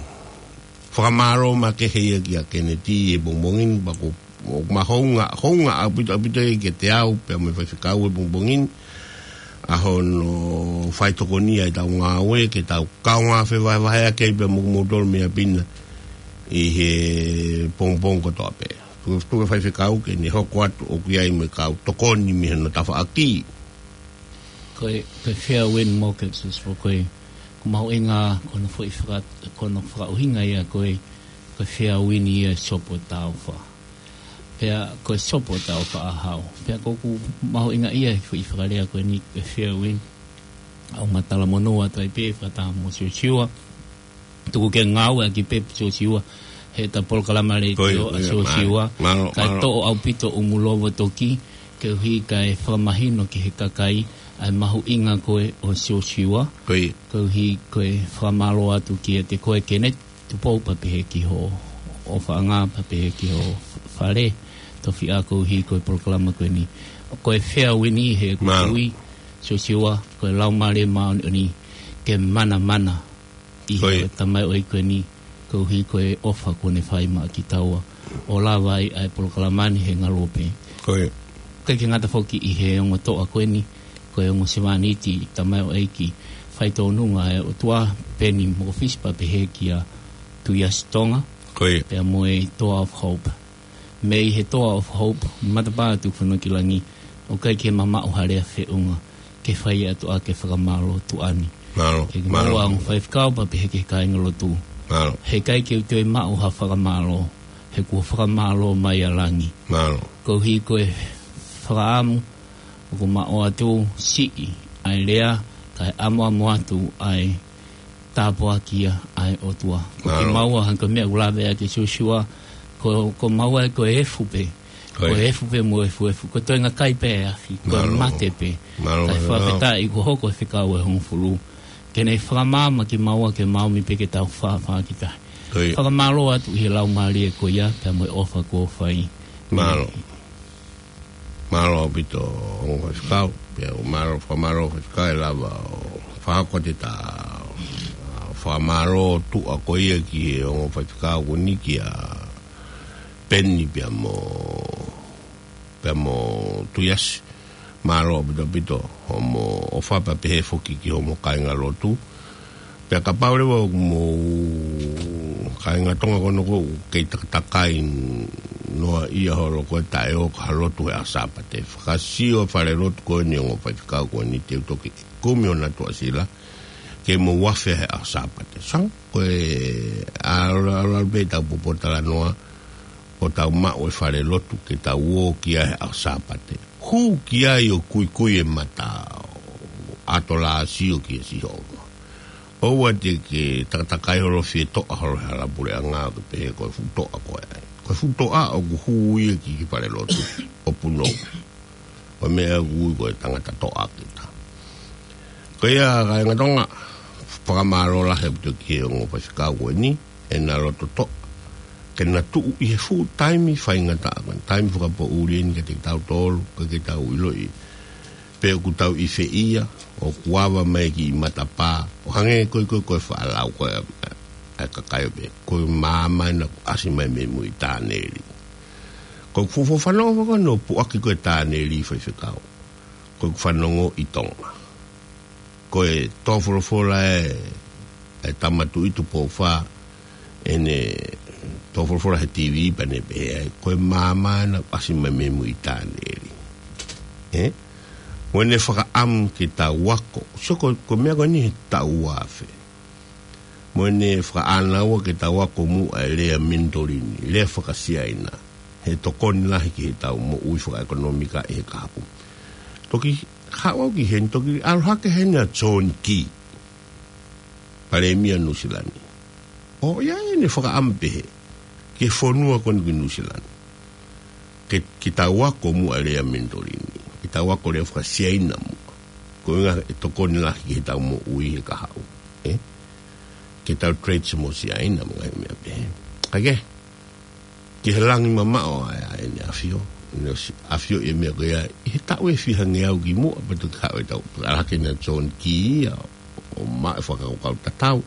fakamālō makehe ia kia Keneti he pongipongi ni, pea ko, ʻoku ma hounga, hounga ʻaupito, ʻaupito ia kiate au, pea mo e faifekau he pongipongi ni, ʻa hono faitokonia ʻetau ngāue, ke tau kaungā fevahevaheʻaki ai pea mo kimoutolu mei ʻapi na ʻi he pongipongi kotoa pē. Tuku, tuku e faifekau ke ne hoko atu ʻoku ʻi ai mo e kau tokoni mei hono tafaʻaki. Ko e, ko e fair win mortgage, ʻo ko e, ko e mahuʻinga, ko hono foʻi faka-, ko hono fakaʻuhinga ia ko e, ko e fair win ia e Sopo Taufa. Pea ko e Sopo Taufa ʻa hau. Pea ko ʻeku mahuʻinga ia he foʻi fakalea ko eni ko e fair win. ʻOku ma talamonū atu ai pē fakataha mo Siosiua. Tuku ke ngāueʻaki pē Siosiua, he ʻeta polokalama letiō ʻa Siosiua. Mālō, mālō. Kae toʻo ʻaupito ʻumulovo toki, koeʻuhi kae fakamahino ki he kakai ʻa e mahuʻinga ko ē ʻo Siosiua. Koeʻuhi ko e fakamālō atu kiate koe Keneti Tupou pea pehē ki hoʻo ʻofaʻanga pea pehē ki hoʻo fale tofiʻa koeʻuhi ko e polokalama ko eni. Ko e fair win ʻi heʻeku tui, Siosiua, ko e Laumālie Māʻoniʻoni ke manamana ʻi he tamaioʻeiki ko eni, koeʻuhi ko e ʻofa kuo ne fai maʻa kitaua ʻo lava ai ʻa e polokalama ni he ngaluope. Ko ia. ʻIkai ke ngata foki ʻi he ongo toʻa ko eni, ko e ongo sevāniti tamaioʻeiki faitōnunga ʻa e ʻOtua, Peni Mokofisi pea pehē kia Tuiasi Tonga. Ko ia. Pea mo e Toa of Hope. Mei he Toa of Hope, matapā Tukufonua ki Langi, ʻoku ʻikai ke mamaʻo ha lea feʻunga ke fai atu ʻa e fakamālō tuʻa ni. Mālō, mālō. Ke ke maua ongo faifekau pea pehē ki he kāingalotu. Mālō. He ʻikai ke u toe maʻu ha fakamālō, he kuo fakamālō mai ʻa Langi. Mālō. Koeʻuhi ko e fakaʻamu ʻoku ma ʻoatu siʻi ʻa e lea, kae ʻamuʻamu atu ʻa e tāpuaki ia ʻa e ʻOtua. Ko kimaua, hangē ko e meʻa ʻoku lave ʻaki ʻe Siosiua, ko, ko maua ko e efu pē. Ko e efu pē mo efuefu. Ko e toenga kai pē ʻa e afi. Ko e mate pē. Mālō. Kae fakafetaʻi kuo hoko e fekau ʻe hongofulu ke ne fakamaama kimaua ke maʻu mai pē ke tau fāfā ki tahi. Fakamālō atu ʻi he laumālie ko ia, pea mo e ʻofa kuo fai. Mālō. Mālō ʻaupito ongo faifekau, pea ʻoku mālō, fakamālō faifekau ʻe lava ʻo fakahoko atu ʻeta, ʻa, fakamālō tuʻa ko ia ki he ongo faifekau ko eni kia Peni pea mo, pea mo Tuiasi. Mālō ʻaupito ʻaupito hoʻomo ʻofa pea pehē foki ki hoʻomo kāingalotu. Pea kapau leva ʻoku mou kāinga Tonga ko ena ʻoku kei takatakai noa ia holo ko e taʻe ō ki ha lotu he ʻaho Sāpate, fakasio falelotu ko eni ongo faifekau ko eni te u toki kumi hona tuʻasila ke mou afe he ʻaho Sāpate. Sai, ko e ʻalu, ʻalu, ʻalu pē ʻetau poupou talanoa ʻo tau maʻu e falelotu ke tau ō ki ai he ʻaho Sāpate. Hū ki ai ʻo kuikui e mata ʻo ʻato lāsio kia Sihova. ʻOua te ke takatakai holo fie toʻa holo he hala puleʻanga ʻo ke pehē ko e fuʻu toʻa ko ē. Ko e fuʻu toʻa ʻoku hū ia ki he falelotu ʻo punou. Ko e meʻa ʻoku ui ko e tangata toʻa kita. Ko ia kāinga Tonga, fakamālō lahi ʻaupito ki he ongo faifekau ko eni, ʻena loto toʻa ke na tuʻu ʻi he fuʻu taimi faingataʻa ko eni, taimi fakapoʻuli eni kiate kitautolu, ʻikai ke tau ʻiloʻi pe ʻoku tau ʻi fē ia, ʻoku ava mai ki matapā, ʻo hangē ko e, ko e, ko e faʻa lau ko ē ʻa e kakai ʻo pehē, ko e maama ena kuo ʻasi mai mei mui, Taneli. Ko ʻeku fuofua fanongo ko ē ʻo puʻaki ko ē Taneli faifekau, ko ʻeku fanongo ʻi Tonga. Ko e tō folofola ʻe, ʻe Tama Tuʻi Tupou Fā, ʻene tō folofola he TV pea ne pehē ai, ko e maama ena kuo ʻasi mai mei mui, Taneli. Ē? Mo ʻene fakaʻamu ke tau ako. Sio ko, ko e meʻa ko eni he taʻu ua afe. Mo ʻene fakaʻānaua ke tau ako muʻa e lea Minitolini, lea faka-Siaina. He tokoni lahi ki heʻetau moʻui fakaʻekonōmika ʻi he kahaʻu. Toki haʻu au ki heni, toki ʻalu hake heni ʻa John Key, Palēmia Nuʻusila ni. ʻO ʻi ai ʻene fakaʻamu pehē ki he fonua ko eni ko Nuʻusila ni, ke, ke tau ako muʻa e lea Minitolini, ke tau ako lea faka-Siaina muʻa. Ko e ʻuhinga ʻe tokoni lahi ki heʻetau moʻui he kahaʻu, ē? Ke tau trade mo Siaina mo e ngaahi meʻa pehē. Kae kehe, ki he langi mamaʻo ʻa e, ʻa ʻEne ʻAfio, ʻEne ʻosi ʻafioʻi e meʻa ko ia ʻi he taʻu ʻe fiha ngeau kimuʻa pea toki haʻu ʻetau, ʻalu hake ʻa John Key ia ʻo maʻu e fakakaukau tatau.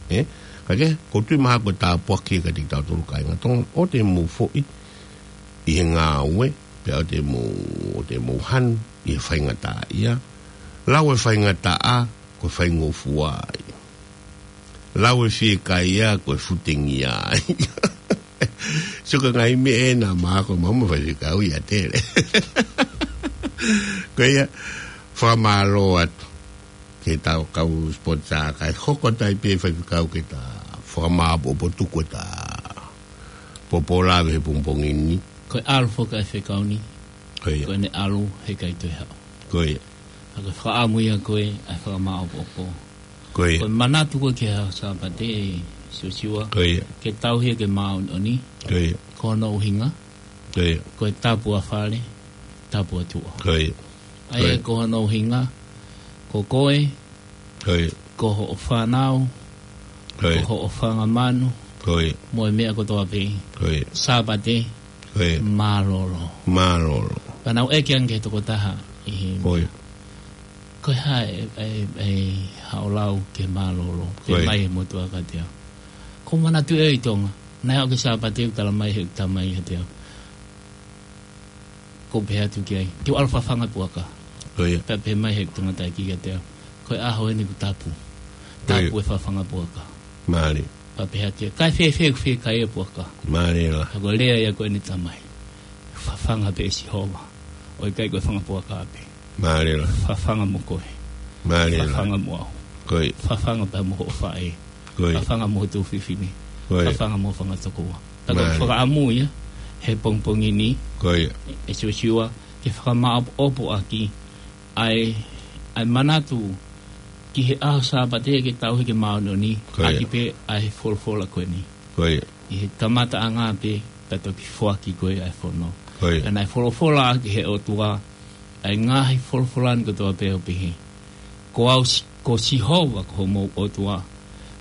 Ē? Ka ke, ʻoku ou tui mahalo ko e tāpuaki kiate kitautolu kāinga Tonga, ʻoua te mou foʻi ʻi he ngāue, pea ʻoua te mou, ʻoua te mou hanu ʻi he faingataʻaʻia. Lau e faingataʻa, ko e faingofua ia. Lau e fiekaia, ko e futengia ia. Sio ki he ngaahi meʻa ʻena mahalo ko e maama faifekau ia tele. Ko ia, fakamālō atu ki he tau kau sponsor kae hoko atu ai pē faifekau ke ta fakamāʻopoʻopo tuku ʻeta pōpōlave he pongipongi ni. Ko e ʻalu foki ʻa e faifekau ni. Ko ia. Ko ʻene ʻalu he ʻikai toe haʻu. Ko ia. Ka ko e fakaʻamu ia ko ē ʻa e fakamāʻopoʻopo. Ko ia. Ko e manatu ko ē ki he ʻaho Sāpate, Siosiua. Ko ia. Ke tauhi ia ke māʻoniʻoni. Ko ia. Ko hono ʻuhinga. Ko ia. Ko e tapu ʻa fale, tapu ʻa tuʻa. Ko ia. ʻA ia ko ia. Ko hono ʻuhinga, ko koe, ko ia. Ko hoʻo fānau, ko ia. Ko hoʻo fanga manu, ko ia. Mo e meʻa kotoa pē. Ko ia. Sāpate, ko ia. Mālōlō. Mālōlō. Pea naʻa ku ʻeke ange ki he tokotaha ʻi he ko ia. Ko e hā e, e, e, haʻo lau ki he mālōlō, ko ia. Pehē mai e motuʻa kiate au. Ko u manatu ʻi Tonga, naʻe aʻu ki he Sāpate ʻoku talamai ʻe heʻeku tamai kiate au. Ko u pehē atu ki ai, ke u ʻalu ʻo fafanga puaka. Ko ia. Pea pehē mai ʻe heʻeku tangataʻeiki kiate au, ko e ʻaho eni ʻoku tapu. Ko ia. Tapu e fafanga puaka. Mālie. Pea pehē atu ia, kae fēfē ʻoku fiekaia e puaka? Mālie lahi. Ka ko e lea ia ko eni ʻa e tamai. Fafanga pē ʻe Sihova. ʻOku ʻikai ko e fanga puaka pē. Mālie lahi. Fafanga mo koe. Mālie lahi. Fafanga mo au. Ko ia. Fafanga pea mo hoʻo faʻē. Ko ia. Fafanga mo ho tuofefine. Ko ia. Fafanga mo e fanga tokoua. Ka ko e mālie. Fakaʻamu ia, he pongipongi ni. Ko ia. ʻE Siosiua, ke fakamāʻopoʻopo ʻaki ʻa e, ʻa e manatu ki he ʻaho Sāpate ke tauhi ke māʻoniʻoni, ko ia. ʻAki pē ʻa e folofola ko eni. Ko ia. ʻI he kamataʻanga pē, pea toki foaki ko ē ʻa e fono. Ko ia. Pea naʻe folofola ʻaki ʻe he ʻOtua, ʻa e ngaahi folofola ni kotoa pē ʻo pehē. Ko au Si-, ko Sihova ko homou ʻOtua.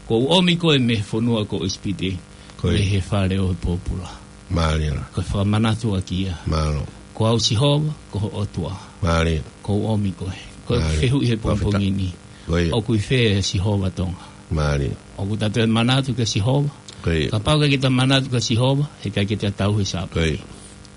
Kuo u ʻomi koe mei he fonua ko ʻIsipite, ko ia. Mei he fale ʻo e pōpula. Mālie lahi. Ko e fakamanatu ʻaki ia. Mālō. Ko au Sihova, ko ho ʻOtua. Mālie. Kuo u ʻomi koe. Ko e mālie. Fehuʻi he fakafetaʻi. Pongipongi ni. Ko ia. ʻOku ʻi fē ʻa Sihova Tonga? Mālie. ʻOku ta toe manatu kia Sihova? Ko ia. Kapau ʻoku ʻikai ke ta manatu kia Sihova, he ʻikai ke ta tauhi e Sāpate. Ko ia.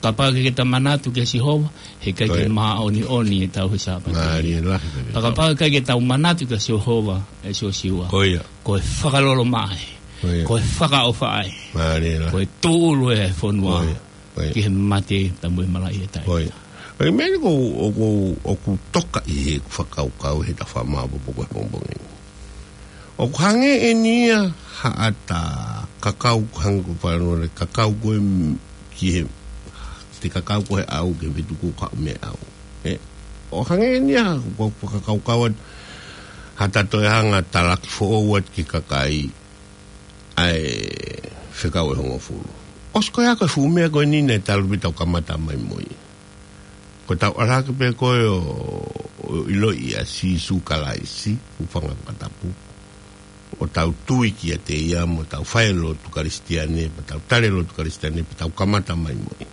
Kapau ʻoku ʻikai ke ta manatu kia Sihova, he ʻikai ke, ko ia. Māʻoniʻoni e tauhi e Sāpate. Mālie lahi, mālie. Pea kapau ʻoku ʻikai ke tau manatu kia Sihova, ʻe Siosiua. Ko ia. Ko e fakalolomaʻi. Ko ia. Ko e fakaʻofaʻi. Mālie lahi. Ko e tūʻulu e fonua. Ko ia. Ko ia. Ki he mate pea mo e malaʻia taʻengata. Ko ia. Ko e meʻa ni ʻoku, ʻoku, ʻoku toka ʻi heʻeku fakakaukau he ta fakamāʻopoʻopo he pongipongi ni. ʻOku hangē eni ia haʻata kakau, hangē ko e fānau ʻe kakau ko ē m-, ki he, te kakau ko ē he ʻau ki he vetuku ka me au. Ē, ʻoku hangē eni ia, ko e fakakaukau atu, haʻata toe hanga ʻo talaki foʻou atu ki he kakai, ʻa e fekau ʻe hongofulu. ʻOsi ko ia ko e fuʻu meʻa ko eni naʻe talu pē ʻetau kamata mai mo ia. Ko ʻetau ʻalu hake pē ko ē ʻo, ʻo ʻiloʻi ʻa Sīsū Kalaisi, hūfanga he fakatapu. ʻO tau tui kiate ia mo tau fai e lotu Kalisitiane, pea tau tali e lotu Kalisitiane, pea tau kamata mai mo ia.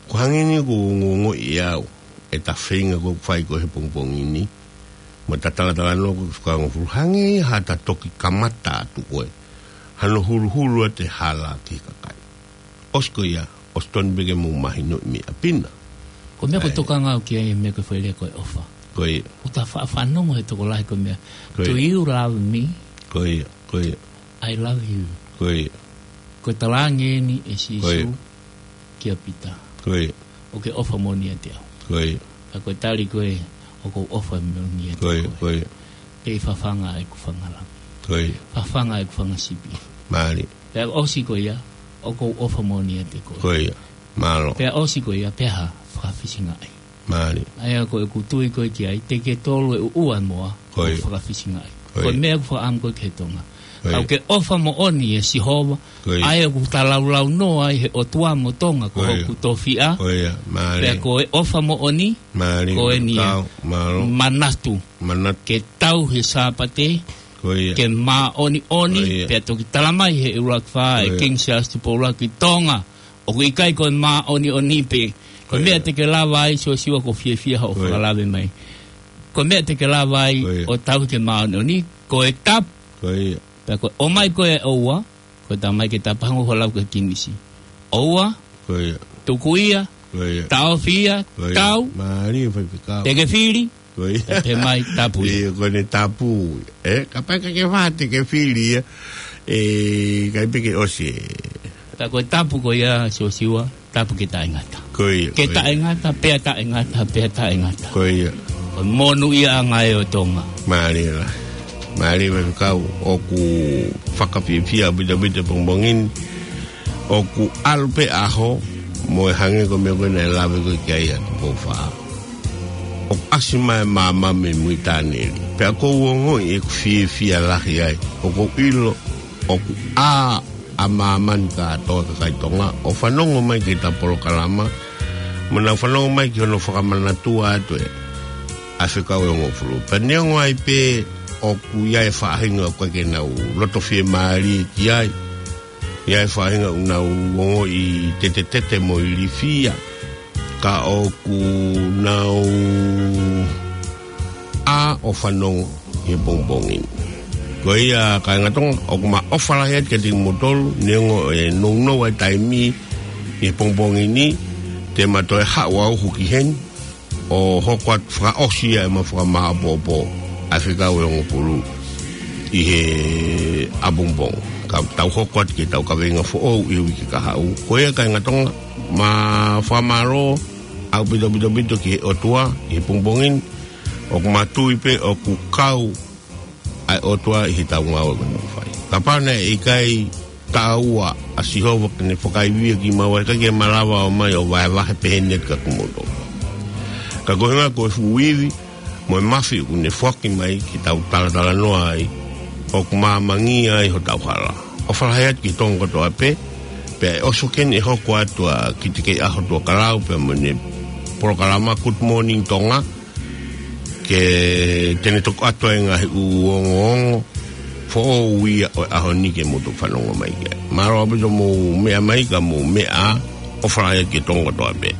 ʻOku hangē ni ʻoku ongoongoʻi ʻe au ʻeta feinga ʻoku fai ko ē he pongipongi ni, mo ʻeta talatalanoa ko ē ki he fekau ʻe hongofulu, hangē ia haʻata toki kamata atu ko ē hano huluhulu atu e hala ki he kakai. ʻOsi ko ia, ʻosi tonu pē ke mou mahinoʻi meʻa pē na. Ko e meʻa ko e ʻai. Tokanga au ki ai, meʻa ko e foʻi lea ko e ʻofa. Ko ia. ʻOku ta faʻa fanongo he tokolahi ko e meʻa. Ko ia. Do you love me? Ko ia, ko ia. I love you. Ko ia. Ko e talaange eni ʻe Sīsū, ko ia, kia Pita. Ko ia. ʻOku ke ʻofa moʻoni ʻiate au. Ko ia. Ka ko e tali ko ē, ʻoku ou ʻofa moʻoni ʻiate koe. Ko ia, ko ia. Pea fafanga ʻeku fanga lami. Ko ia. Fafanga ʻeku fanga sipi. Mālie. Pea ʻosi ko ia, ʻoku ou ʻofa moʻoni ʻiate koe. Ko ia. Mālō. Pea ʻosi ko ia, pea fakafisingaʻi. Mālie. ʻA ia ko ʻeku tui ko ē ki ai, te ke tolu e ʻuʻua e moa, ko ia, ʻo fakafisingaʻi. Ko ia. Ko e meʻa ʻoku fakaʻamu ko ē ki he Tonga. Ko ia. Ka ʻoku ke ʻofa moʻoni ʻia Sihova, ko ia, ʻa ia ʻoku ta laulaunoa ai he ʻOtua mo Tonga, ko ia, hoku tofiʻa. Ko ia, mālie. Pea ko e ʻofa moʻoni, mālie, ko eni ia. Kau, mālō. Manatu. Manatu. Ke tauhi e Sāpate, ko ia, ke māʻoniʻoni, ko ia, pea toki talamai he ʻuluaki fā ʻe, ko ia, King Siaosi Tupou ʻUluaki, Tonga ʻoku ʻikai ko e māʻoniʻoni pē. Ko e, ko ia, meʻa te ke lava ai, Siosiua, ʻoku ou fiefia hoʻo, ko ia, fakalave mai. Ko e meʻa te ke lava ai, ko ia, ʻo tauhi ke māʻoniʻoni, ko e tapu. Ko ia. Pea ko e ʻomai ko ē ʻoua, ko e talamai ke tapangu ho lau ki he Kingisi. ʻOua, Ko ia. tuku ia, Ko ia. taofi ia, Ko ia. tau, Mālie faifekau. te ke fili, Ko ia. pea pehē mai tapu ia. Ia, ko ʻene tapu. Ē, kapau ʻe ʻikai ke fai ha te ke fili ia. Ē, ʻikai pē ke ʻosi. Ka ko e tapu ko ia, Siosiua, tapu ke taʻengata. Ko ia, Ke ko ia. taʻengata, pea taʻengata, pea taʻengata. Ko ia. Ko e monūʻiaʻanga ē ʻo Tonga. Mālie lā. Mālie faifekau, ʻoku fakafiefia ʻaupito ʻaupito he pongipongi ni. ʻOku ʻalu pē ʻaho, mo e hangē ko e meʻa ko ē naʻe lave ko ē ki ai ʻa Tupou Fā. ʻOku ʻasi mai e maama mei mui tāneli. Pea ʻoku ou ongoʻi ʻeku fiefia lahi ai. ʻOku ou ʻilo, ʻoku ʻā ʻa māmani kātoa kakai Tonga, ʻo fanongo mai ki heʻeta polokalama, mo nau fanongo mai ki hono fakamanatua atu ē ʻa e fekau ʻe hongofulu. Pea neongo ai pē ʻoku ʻi ai e faʻahinga ʻoku ʻikai ke nau loto fiemālie ki ai. ʻI ai e faʻahinga ʻoku nau ongoʻi tetetete mo ilifia. Ka ʻoku nau ʻā ʻo fanongo he pongipongi ni. Ko ia kāinga Tonga, ʻoku ma ʻofa lahi atu kiate kimoutolu, neongo e nounou ʻa e taimi he pongipongi ni, te ma toe haʻu au ki heni, ʻo hoko atu fakaʻosi ʻa ʻema fakamāʻopoʻopo ʻa e fekau ʻe hongofulu ʻi he ʻapongipongi. Ka tau hoko atu ki heʻetau kaveinga foʻou ʻi he uike kahaʻu. Ko ia kāinga Tonga, ma fakamālō ʻaupito ʻaupito ʻaupito ki he ʻOtua ʻi he pongipongi ni, ʻoku ma tui pē ʻoku kau ʻa e ʻOtua ʻi heʻetau ngāue ko ē ʻoku mau fai. Kapau naʻe ʻikai taʻeʻoua ʻa Sihova ke ne fakaivia kimaua, ʻikai ke malava ʻo ʻomai ʻo vahevahe pehē ni atu kia kimoutolu. Ka ko e ʻuhinga ko e fuʻu ivi mo e mafi ʻoku ne foaki mai ke tau talatalanoa ai, ʻoku māmangia ai hotau hala. ʻOfa lahi atu ki Tonga kotoa pē, pea ʻe ʻosi ko eni ʻe hoko atu ʻa Kitekeiʻaho Tuʻa Kalau pea mo ʻene polokalama Good Morning Tonga, ke te ne toki ʻoatu ai e ngaahi ʻū ongoongo foʻou ia ʻo e ʻaho ni ke mou toki fanongo mai ki ai. Mālō ʻaupito hoʻomou meʻa mai, ka mou meʻa ā, ʻofa lahi atu ki Tonga kotoa pē.